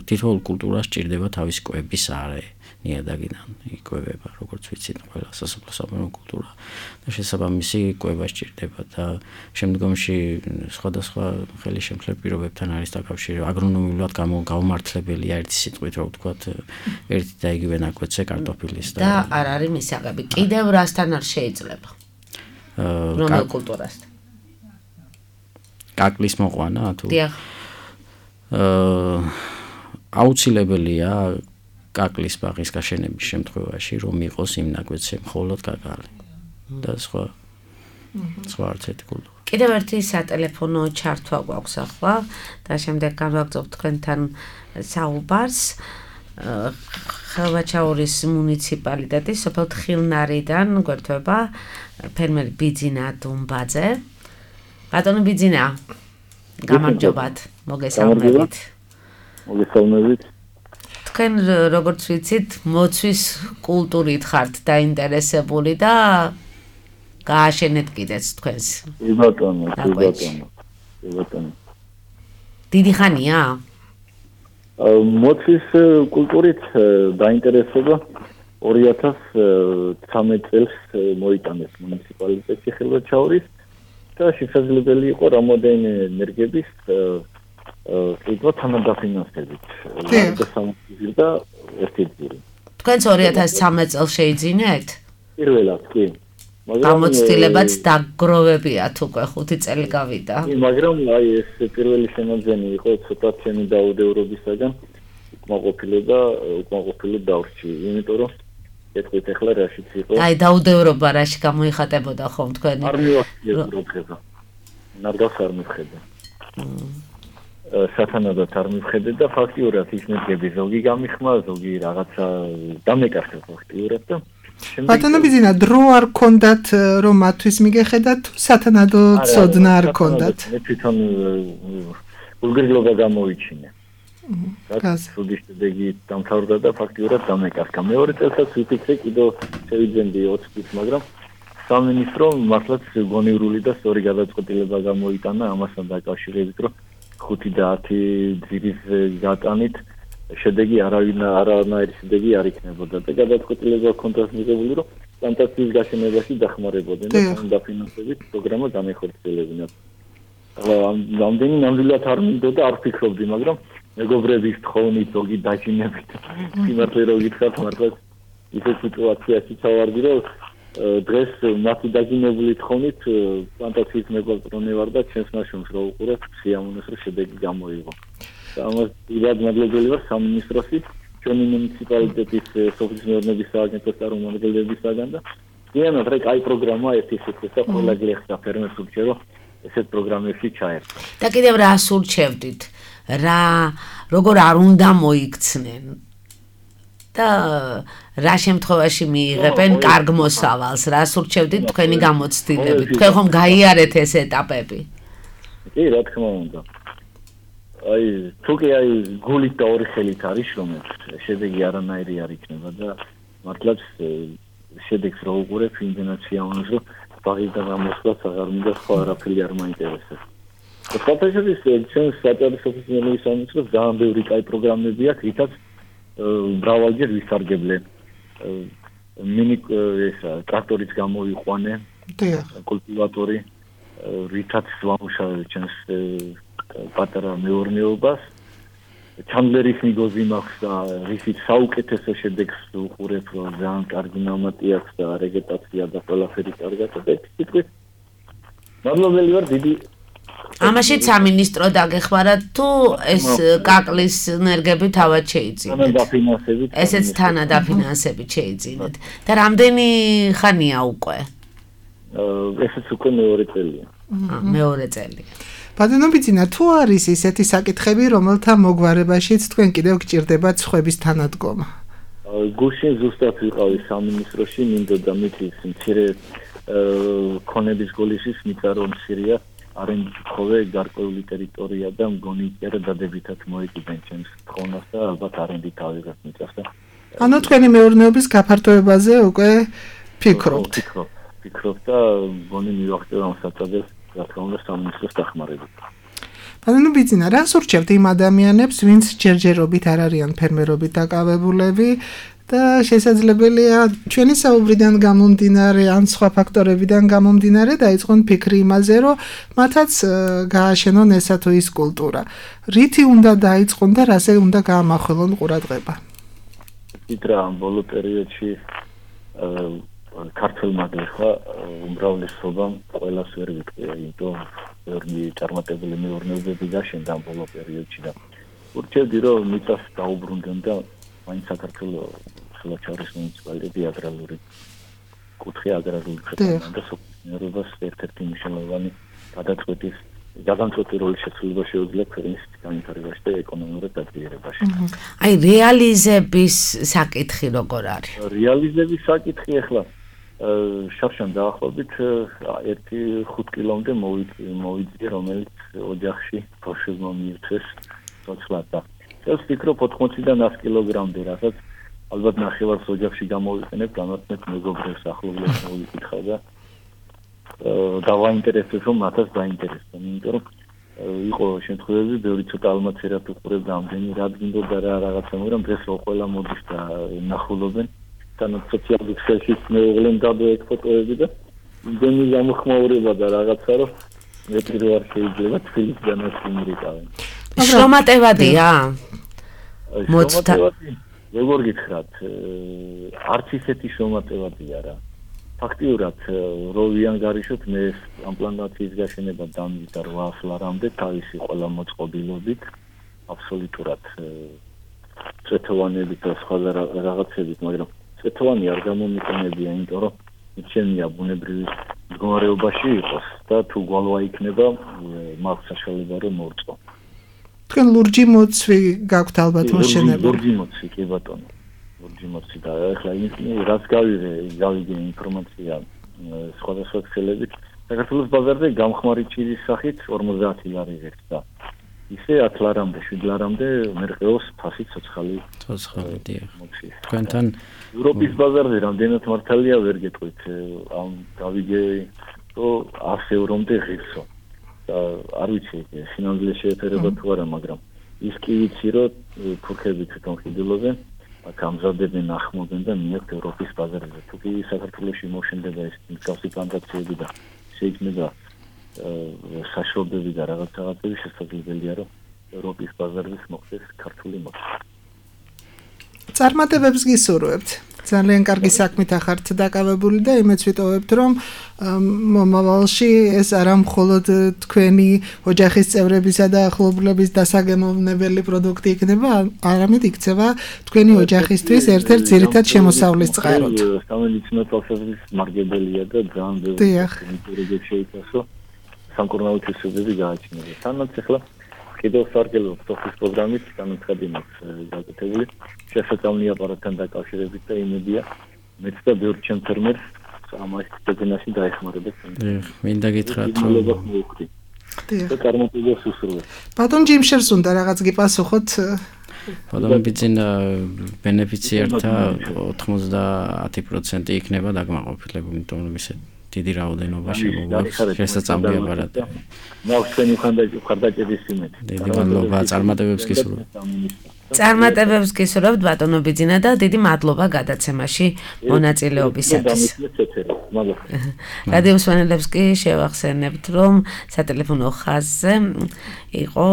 თითოეულ კულტურას სჭირდება თავისი კვების არე. ნიადაგიდან იკვებება, როგორც ვიცით, ყველა სასოფლო-სამეურნეო კულტურა და შესაბამისი კვება სჭირდება და შემდგომში სხვადასხვა ხელისშემშლელ პირობებთან არის დაკავშირებული. აგრონომიულად გამომართლებელია ერთი სიტყვით, რო ვთქვათ, ერთი და იგივე ნაკვეთზე კარტოფილის და არ არის მისაღები. კიდევ რასთან არ შეიძლება? რომელ კულტურასთან? კაკლის მოყვანა თუ? დიახ. აა აუცილებელია კაკლის ბაღის გაშენების შემთხვევაში, რომ იყოს იმ ნაკვეთზე მხოლოდ კაკალი და სხვა სხვა არც ერთი კულტურა. კიდევ ერთი სატელეფონო ჩართვა გვაქვს ახლა და შემდეგ განვაგრძობთ თქვენთან საუბარს. ხევაჩაურის მუნიციპალიტეტის სოფელ თხილნარიდან გვერდება ფერმერი ბიძინა დუმბაძე. ბატონო ბიძინა, გამარჯობათ, მოგესალმებით. მოგესალმებით. თქვენ როგორც ვიცით, მოცვის კულტურით ხართ დაინტერესებული და გააშენეთ კიდეც თქვენს. კი ბატონო, კი ბატონო. კი ბატონო. დიდი ხანია? მოცვის კულტურით დაინტერესება ორი ათას ცხრამეტ წელს მოიტანეს მუნიციპალიტეტში ხევაჩაურის და შესაძლებელი იყო რამოდენიმე ენერგების კიდევ თანადაფინანსებით. და ერთი ძირი. თქვენც ორი ათას ცხრამეტ წელს შეიძინეთ? პირველად, კი. გამოცდილებაც დაგროვებიათ უკვე ხუთი წელი გავიდა. კი, მაგრამ აი ეს პირველი შემოძენი იყო ცოტა ჩემი დაუდევრობისაგან უკმაყოფილება, უკმაყოფილება დავრჩი, იმიტომ რომ ეთქვით ახლა რაშიც იყო. აი დაუდევრობა რაში გამოიხატებოდა ხომ თქვენი? არ მივახციებდა. ნარგავს არ მივხედა. სათანადოდ არ მივხედე და ფაქტიურად ის მეგები ზოგი გამიხმა, ზოგი რაღაცა დამეკარგა ფაქტიურად და ბატონო ბიძინა, დრო არ ქონდათ რომ მათთვის მიგეხედათ თუ სათანადოდ ცოდნა არ ქონდათ? მე თვითონ უგრძნობა გამოვიჩინე. რაც სუდის შედეგი დამთავრდა და ფაქტიურად დამეკარგა. მეორე წელსაც ვიფიქრე კიდევ შევიძენდი ოცი წლის, მაგრამ სამინისტრო მართლაც გონივრული და სწორი გადაწყვეტილება გამოიტანა ამასთან დაკავშირებით, რომ ხუთი და ათი ძირის გატანით შედეგი არავინ არანაირი შედეგი არ იქნებოდა და გადაწყვეტილება ჰქონდა მიღებული, რომ პლანტაციის გაშენებაში დახმარებოდნენ და დაფინანსებით პროგრამა განეხორციელებინათ. ამდენი ნამდვილად არ მინდოდა, არ ვფიქრობდი, მაგრამ მეგობრების თხოვნით, ზოგი დაჟინებით, სიმართლე რო გითხრათ, მართლაც ისეთ სიტუაციაშიც ავარდი, რომ დღეს მათი დაგინებული თხოვნით პლანტაციის მეგობრონე ვარ და ჩემს ნაშრომს რო უყურებ, სიამოვნეს რომ შედეგი გამოიღო. და ამას დიდად მადლობელი ვარ სამინისტროსი, ჩვენი მუნიციპალიტეტის სოფლის მეურნეობის სააგენტოს წარმომადგენლებისაგან და ზიანად რა კაი პროგრამაა ერთი ისეთი და ყველა გლეხსა ფერმერს ურჩევ რომ ესეთ პროგრამებში ჩაერთო. და კიდევ რა სურჩევდით? რა როგორ არ უნდა მოიქცნენ? და რა შემთხვევაში მიიღებენ კარგ მოსავალს? რა სურჩევდით თქვენი გამოცდილებით? თქვენ ხომ გაიარეთ ეს ეტაპები? კი, რა თქმა უნდა. აი, თუკი აი გულით და ორი ხელით არის შრომებს, შედეგი არანაირი არ იქნება და მართლაც შედეგს რო უყურებ, იმდენად სიამოვნებს, რომ ბაღის და გამოსვლაც აღარ მინდა, სხვა არაფერი არ მაინტერესებს. სხვათაშორის ჩვენს საჯარო სოფლის მეურნეობის სამინისტროს ძალიან ბევრი კაი პროგრამები აქვს, რითაც მრავალჯერ ვისარგებლენ. მინი ესა ტრაქტორიც გამოიყვანე, კულტივატორი, რითაც ვამუშავებ ჩვენს პატარა მეურნეობას. ჩანდლერის მიგოზი მაქვს და რითიც საუკეთესო შედეგს უყურებ, რომ ძალიან კარგი ნამატი აქვს და რეგეტაცია და ყველაფერი კარგად და თითქოს მადლობელი ვარ დიდი ამაშიც სამინისტრო დაგეხმარათ თუ ეს კაკლის ენერგები თავად შეიძინეთ? ესეც თანადაფინანსებით შეიძინეთ. და რამდენი ხანია უკვე? ესეც უკვე მეორე წელია. მეორე წელია. ბატონობიძინა, თუ არის ისეთი საკითხები, რომელთა მოგვარებაშიც თქვენ კიდევ გჭირდებათ სხვების თანადგომა? გუშინ ზუსტად ვიყავი სამინისტროში, მინდოდა მითის მცირე ქონების გოლიშის მიწარო მცირეა არენდით ხოვე გარკვეული ტერიტორია და მგონი იარა დადებითად მოეკიდენ ჩემს თხოვნას და ალბათ არენდით ავიღებ მიწას და ანუ თქვენი მეურნეობის გაფართოებაზე უკვე ფიქრობთ? ფიქრობ, ფიქრობ და მგონი მივახტევ ამ საწადებს რა თქმა უნდა სამინისტროს დახმარებით. ბატონობიძინა, რას ურჩევთ იმ ადამიანებს, ვინც ჯერჯერობით არ არიან ფერმერობით დაკავებულები და შესაძლებელია ჩვენი საუბრიდან გამომდინარე ან სხვა ფაქტორებიდან გამომდინარე დაიწყონ ფიქრი იმაზე, რომ მათაც გააშენონ ესა თუ ის კულტურა. რითი უნდა დაიწყონ და რაზე უნდა გაამახვილონ ყურადღება? იდრა ამ ბოლო პერიოდში ქართულმა გეხა უმრავლესობამ ყველას ვერ ვიტყვია, იმიტომ ვერნი წარმატებული მეურნეობები გაშენდა ამ ბოლო პერიოდში და ურჩევდი რომ მიწას დაუბრუნდნენ და მაინც საქართველოს ხელჩაურის მუნიციპალიტეტი აგრარული კუთხე აგრარული ქვეყანა და სოფლის ერთ-ერთი მნიშვნელოვანი გადაწყვეტის გადამწყვეტი როლი შეცვლილება შეუძლია ქვეყნის განვითარებაში და ეკონომიურ დაგიერებაში. აი რეალიზების საკითხი როგორ არის? რეალიზების საკითხი ახლა შარშან დაახლოებით ერთი ხუთ კილომდე მოვიძიე, რომელიც ოჯახში ბავშვებმა მიირთვეს ცოცხლად და ეს ვფიქრობ ოთხმოციდან ას კილოგრამდე, რასაც ალბათ ნახევარს ოჯახში გამოვიყენებ, გამართმეთ მეგობრებს, ახლობლებს მოვიკითხა და დავაინტერესებს, რომ მათაც დაინტერესდა, იმიტომ რომ იყო შემთხვევები, ბევრი ცოტა ალმაცერად უყურებდა ამდენი, რა გინდოდა რა რაღაცა, მაგრამ დღეს რო ყველა მოდის და ნახულობენ, თანაც სოციალურ ქსელში მეუღლემ გადაექ ფოტოები და იმდენი გამოხმაურება და რაღაცა, რომ მე პირველ შეიძლება თბილისიდანაც იმრიკავენ. შრომატევადია? შრომატევადი, როგორ გითხრათ, არც ისეთი შრომატევადია რა. ფაქტიურად რო ვიანგარიშოთ მე ამ პლანტაციის გაშენება დამზადდა რვა ლარამდე თავისი ყველა მოწყობილობით აბსოლუტურად წეთოვანებით და სხვა რაღაცებით, მაგრამ წეთოვანი არ გამომიყენებია, იმიტომ რომ მიცემია ბუნებრივი მდგომარეობაში იყოს და თუ გვალვა იქნება მაქვს საშუალება რომ მოვწყო. თქვენ ლურჯი მოცვი გაქვთ ალბათ მოშენებული? ლურჯი მოცვი, კი ბატონო. ლურჯი მოცვი და ახლა რაც გავიღე, გავიგე ინფორმაცია სხვადასხვა ქსელებით. საქართველოს ბაზარზე გამხმარი ჩირის სახით ორმოცდაათი ლარი ღირსდა. ისე ათ ლარამდე, შვიდ ლარამდე მერყეოს ფასი ცოცხალი. ცოცხალი დიახ. თქვენთან ევროპის ბაზარზე რამდენად მართალია ვერ გეტყვით. ამ გავიგე რომ ას ევრომდე ღირსო. და არ ვიცი სინამდვილე შეეფერება თუ არა, მაგრამ ის კი ვიცი რომ თურქები თვითონ ხიდილობენ, აქ ამზადებენ, ახმობენ და მიაქვთ ევროპის ბაზარზე. თუ კი საქართველოში მოშენდება ეს მსგავსი პლანტაციები და შეიქმნება საშუალებები და რაღაც რაღაცები, შესაძლებელია რომ ევროპის ბაზარზე მოხდეს ქართული მოხდეს. წარმატებებს გისურვებთ. ძალიან კარგი საქმით ახართ დაკავებული და იმეც ვიტოვებთ, რომ მომავალში ეს არა მხოლოდ თქვენი ოჯახის წევრებისა და ახლობლების დასაგემოვნებელი პროდუქტი იქნება, არამედ იქცევა თქვენი ოჯახისთვის ერთ-ერთ ძირითად შემოსავლის წყაროდ. სამედიცინო თვალსაზრისით მარგებელია და ძალიან ბევრი შეიცავსო სამკურნალო თვისებები გააჩნია. თანაც ახლა კიდევ სარგებლობ თოხის პროგრამით განაცხადი მაქვს გაკეთებული შესაძლებელი აპარატთან დაკავშირებით და იმედია მეც და ბევრ ჩემ ფერმერს ამას დაგენაში დაეხმარებათ. მინდა გითხრათ რომ და წარმატებას უსურვებ. ბატონ ჯიმშერს უნდა რაღაც გიპასუხოთ. ბატონ ბიძინა ბენეფიციერთა ოთხმოცდაათი პროცენტი იქნება დაკმაყოფილებული, იმიტომ რომ ისე დიდი რაოდენობა შემოგვაქვს შესაძლებელი აპარატი. მაქვს თქვენი ხარდაჭერის იმედი. დიდი მადლობა, წარმატებებს გისურვებთ. წარმატებებს გისურვებთ ბატონო ბიძინა და დიდი მადლობა გადაცემაში მონაწილეობისათვის. რადიო მსმენელებს კი შევახსენებთ, რომ სატელეფონო ხაზზე იყო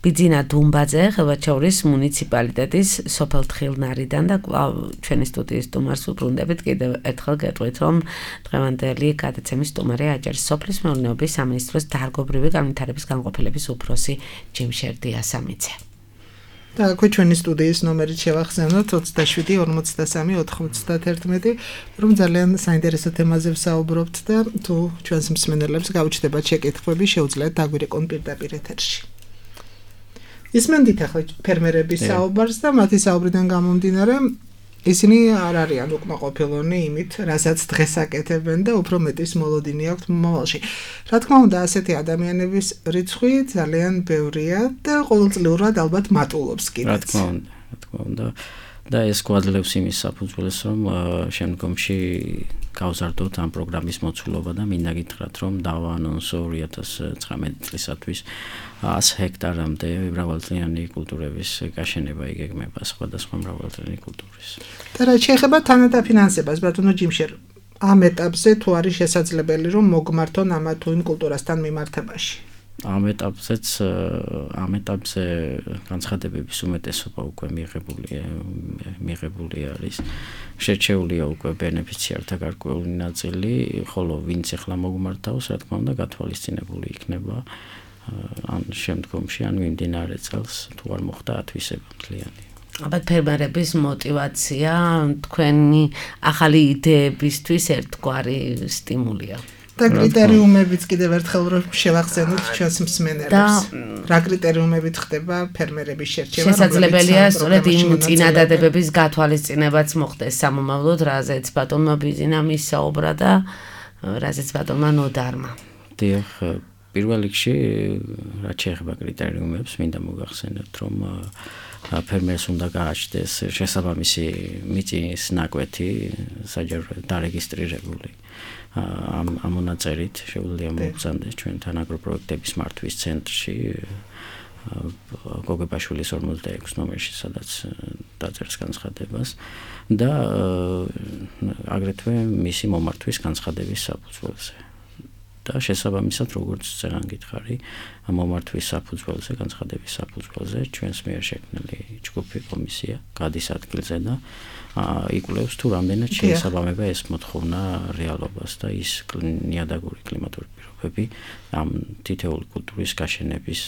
ბიძინა დუმბაძე, ხევაჩაურის მუნიციპალიტეტის სოფელ თხილნარიდან და ჩვენი სტუდიის სტუმარს უბრუნდებით კიდევ ერთხელ გეტყვით, რომ დღევანდელი გადაცემის სტუმარი აჭარის სოფლის მეურნეობის სამინისტროს დარგობრივი განვითარების განყოფილების უფროსი ჯიმშერ დიასამიძე. და აქვე ჩვენი სტუდიის ნომერით შევახსენოთ ოცდაშვიდი ორმოცდასამი ოთხმოცდაათერთმეტი, რომ ძალიან საინტერესო თემაზე ვსაუბრობთ და თუ ჩვენს მსმენელებს გაუჩნდებათ შეკითხვები, შეუძლიათ დაგვირეკონ პირდაპირ ეთერში. ისმენდით ახლა ფერმერების საუბარს და მათი საუბრიდან გამომდინარე ისინი არ არიან უკმაყოფილონი იმით, რასაც დღეს აკეთებენ და უფრო მეტის მოლოდინი აქვთ მომავალში. რა თქმა უნდა, ასეთი ადამიანების რიცხვი ძალიან ბევრია და ყოველწლიურად ალბათ მატულობს კიდეც. რა თქმა უნდა, რა თქმა უნდა. და ეს გვაძლევს იმის საფუძველს, რომ შემდგომში გავზარდოთ ამ პროგრამის მოცულობა და მინდა გითხრათ, რომ დავაანონსო ორი ათას ცხრამეტი წლისათვის ას ჰექტარამდე მრავალწლიანი კულტურების გაშენება იგეგმება სხვადასხვა მრავალწლიანი კულტურის. და რაც შეეხება თანადაფინანსებას, ბატონო ჯიმშერ, ამ ეტაპზე თუ არის შესაძლებელი, რომ მოგმართონ ამა თუ იმ კულტურასთან მიმართებაში? ამ ეტაპზეც ამ ეტაპზე განცხადებების უმეტესობა უკვე მიღებული მიღებული არის. შერჩეულია უკვე ბენეფიციართა გარკვეული ნაწილი, ხოლო ვინც ახლა მოგმართავს, რა თქმა უნდა, გათვალისწინებული იქნება ან შემდგომში, ან მიმდინარე წელს თუ არ მოხდა ათვისება მთლიანი. ალბათ ფერმერების мотиваცია თქვენი ახალი იდეებისთვის ერთგვარი სტიმულია. და კრიტერიუმებიც კიდევ ერთხელ რომ შევახსენოთ ჩვენს მსმენელებს. რა კრიტერიუმებით ხდება ფერმერების შერჩევა? შესაძლებელია სწორედ იმ წინადადებების გათვალისწინებაც მოხდეს სამომავლოდ, რაზეც ბატონმა ბიძინამ ისაუბრა და რაზეც ბატონმა ნოდარმა. დიახ, პირველ რიგში რაც შეეხება კრიტერიუმებს, მინდა მოგახსენებთ, რომ ფერმერს უნდა გააჩნდეს შესაბამისი მიწის ნაკვეთი, საჯარო დარეგისტრირებული. ამ ამ მონაწერით შეუძლია მოგზავნდეს ჩვენთან აგროპროექტების მართვის ცენტრში გოგებაშვილის ორმოცდაექვსი ნომერში, სადაც დაწერს განცხადებას და აგრეთვე მისი მომართვის განცხადების საფუძველზე. და შესაბამისად, როგორც წერან გითხარი, მომართვის საფუძველზე, განცხადების საფუძველზე ჩვენს მიერ შექმნილი ჯგუფი კომისია გადის ადგილზე და იკვლევს თუ რამდენად შეესაბამება ეს მოთხოვნა რეალობას და ის ნიადაგური კლიმატური პირობები ამ თითოეული კულტურის გაშენების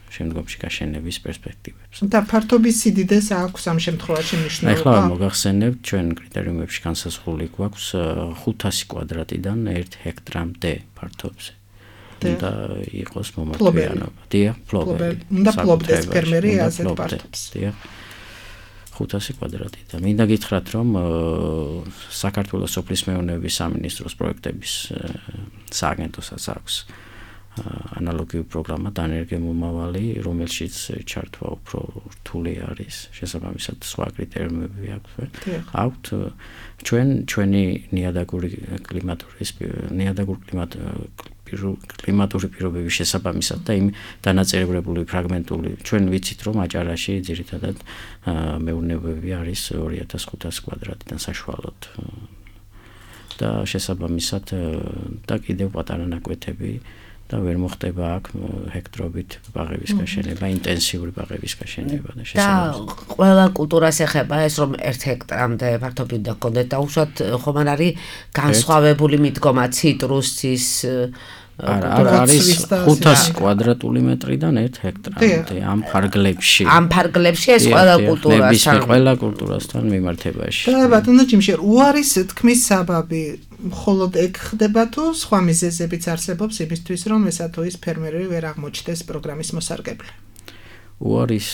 შემდგომში გაშენების პერსპექტივებს. და ფართობის სიდიდეს აქვს ამ შემთხვევაში მნიშვნელობა. ახლა მოგახსენებთ, ჩვენ კრიტერიუმებში განსაზღვრული გვაქვს ხუთასი კვადრატიდან ერთ ჰექტრამდე ფართობზე. და იყოს მომართვიანობა. დიახ, ფლობელი. და ფლობდეს ფერმერი ასეთ ფართობს. დიახ. ხუთასი კვადრატი და მინდა გითხრათ, რომ საქართველოს სოფლის მეურნეობის სამინისტროს პროექტების სააგენტოსაც აქვს ანალოგიური პროგრამა დანერგემომავალი, რომელშიც ჩართვა უფრო რთული არის, შესაბამისად სხვა კრიტერიუმები აქვთ. ჩვენ ჩვენი ნიადაგური კლიმატურის ნიადაგური კლიმატ კლიმატური პირობების შესაბამისად და იმ დანაწევრებული ფრაგმენტული ჩვენ ვიცით, რომ აჭარაში ძირითადად მეურნეობები არის ორი ათას ხუთასი კვადრატიდან საშუალოდ და შესაბამისად და კიდევ პატარა ნაკვეთები და ვერ მოხდება აქ ჰექტრობით ბაღების გაშენება, ინტენსიური ბაღების გაშენება და შესაბამისად. და ყველა კულტურას ეხება ეს რომ ერთ ჰექტრამდე ფართობით და გქონდეთ და უშუალოდ ხომ არ არის განსხვავებული მიდგომა ციტრუსის არა არის ხუთასი კვადრატული მეტრიდან ერთ ჰექტრამდე ამ ფარგლებში. ამ ფარგლებში ეს ყველა კულტურასთან ყველა კულტურასთან მიმართებაში. და ბატონო ჯიმშერ, უარის თქმის საბაბი მხოლოდ ეგ ხდება თუ სხვა მიზეზებიც არსებობს იმისთვის, რომ ესა თუ ის ფერმერები ვერ აღმოჩნდეს პროგრამის მოსარგებლე? უარის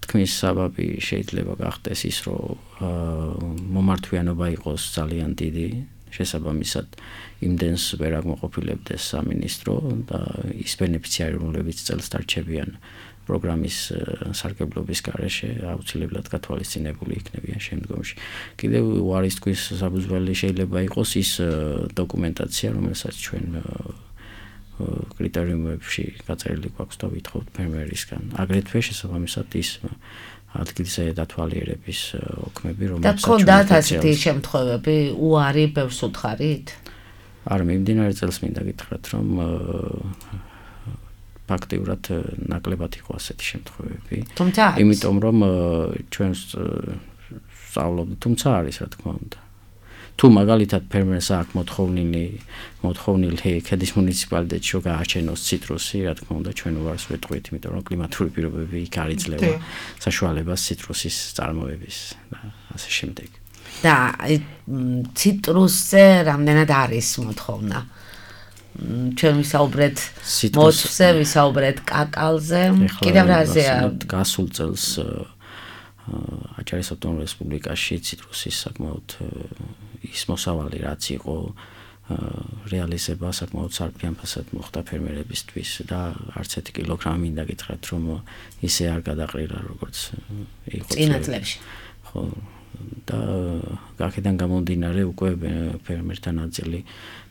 თქმის საბაბი შეიძლება გახდეს ის, რომ მომართვიანობა იყოს ძალიან დიდი, შესაბამისად იმდენს ვერ აღმოყოფილებდეს სამინისტრო და ის ბენეფიციარი, რომლებიც წელს დარჩებიან პროგრამის სარგებლობის გარეშე, აუცილებლად გათვალისწინებული იქნებიან შემდგომში. კიდევ უარის თქვის საფუძველი შეიძლება იყოს ის დოკუმენტაცია, რომელსაც ჩვენ კრიტერიუმებში გაწერილი გვაქვს და ვითხოვთ ფერმერისგან. აგრეთვე შესაბამისად ის ადგილზე დათვალიერების ოქმები, რომელსაც და გქონდათ ასეთი შემთხვევები, უარი ბევრს უთხარით? არ მიმდინარე წელს მინდა გითხრათ, რომ ფაქტიურად ნაკლებად იყო ასეთი შემთხვევები. იმიტომ რომ ჩვენ სწავლობთ, თუმცა არის რა თქმა უნდა. თუ მაგალითად ფერმერს აქვს მოთხოვნილი მოთხოვნილი ქედის მუნიციპალიტეტში რომ გააჩენოს ციტრუსი, რა თქმა უნდა ჩვენ უარს ვეტყვით, იმიტომ რომ კლიმატური პირობები იქ არ იძლევა საშუალებას ციტრუსის წარმოების და ასე შემდეგ. და ციტრუსზე რამდენად არის მოთხოვნა? ჩვენ ვისაუბრეთ მოთზე, ვისაუბრეთ კაკალზე, კიდევ რაზეა? გასულ წელს აჭარის ავტონომურ რესპუბლიკაში ციტრუსის საკმაოდ ის მოსავალი რაც იყო რეალიზება საკმაოდ სარფიანფასად მოხდა ფერმერებისთვის და არც ერთი კილოგრამი მინდა გითხრათ რომ ისე არ გადაყრილა როგორც იყო წინა წლებში. ხო და აქედან გამომდინარე უკვე ფერმერთა ნაწილი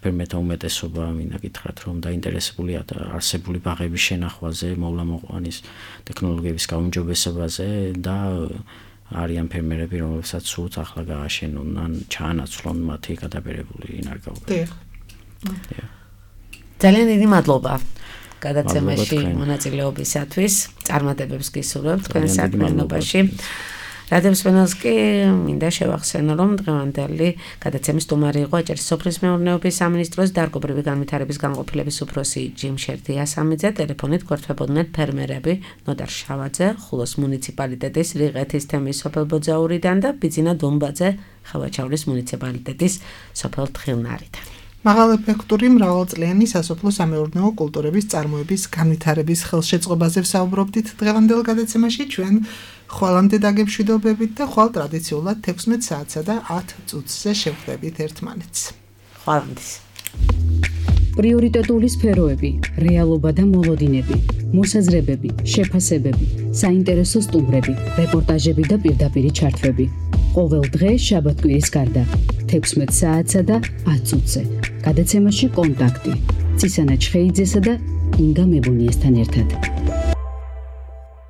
ფერმერთა უმეტესობა მინდა გითხრათ რომ დაინტერესებულია არსებული ბაღების შენახვაზე, მოვლა-მოყვანის ტექნოლოგიების გაუმჯობესებაზე და არიან ფერმერები, რომლებსაც სულთ ახლა გააშენონ ან ჩაანაცვლონ მათი გადაბერებული ინარგავები. ძალიან დიდი მადლობა გადაცემაში მონაწილეობისათვის. წარმატებებს გისურვებთ თქვენ საქმიანობაში. რადიო სპენელს კი მინდა შევახსენო, რომ დღევანდელი გადაცემის სტუმარი იყო აჭარის სოფლის მეურნეობის სამინისტროს დარგობრივი განვითარების განყოფილების უფროსი ჯიმშერ დიასამიძე. ტელეფონით გვერდთვებოდნენ ფერმერები ნოდარ შავაძე, ხულოს მუნიციპალიტეტის რიყეთის თემის სოფელ ბოძაურიდან და ბიძინა დუმბაძე, ხევაჩაურის მუნიციპალიტეტის სოფელ თხილნარიდან. მაღალეფექტური მრავალწლიანი სასოფლო სამეურნეო კულტურების წარმოების განვითარების ხელშეწყობაზე ვსაუბრობდით დღევანდელ გადაცემაში. ჩვენ ხვალამდე დაგემშვიდობებით და ხვალ ტრადიციულად თექვსმეტ საათსა და ათ წუთზე შევხვდებით ერთმანეთს. ხვალამდის. პრიორიტეტული სფეროები, რეალობა და მოლოდინები, მოსაზრებები, შეფასებები, საინტერესო სტუმრები, რეპორტაჟები და პირდაპირი ჩართვები. ყოველ დღე შაბათ-კვირის გარდა თექვსმეტ საათსა და ათ წუთზე. გადაცემაში კონტაქტი: ცისანა ჩხეიძესა და ინგა მებუნიესთან ერთად.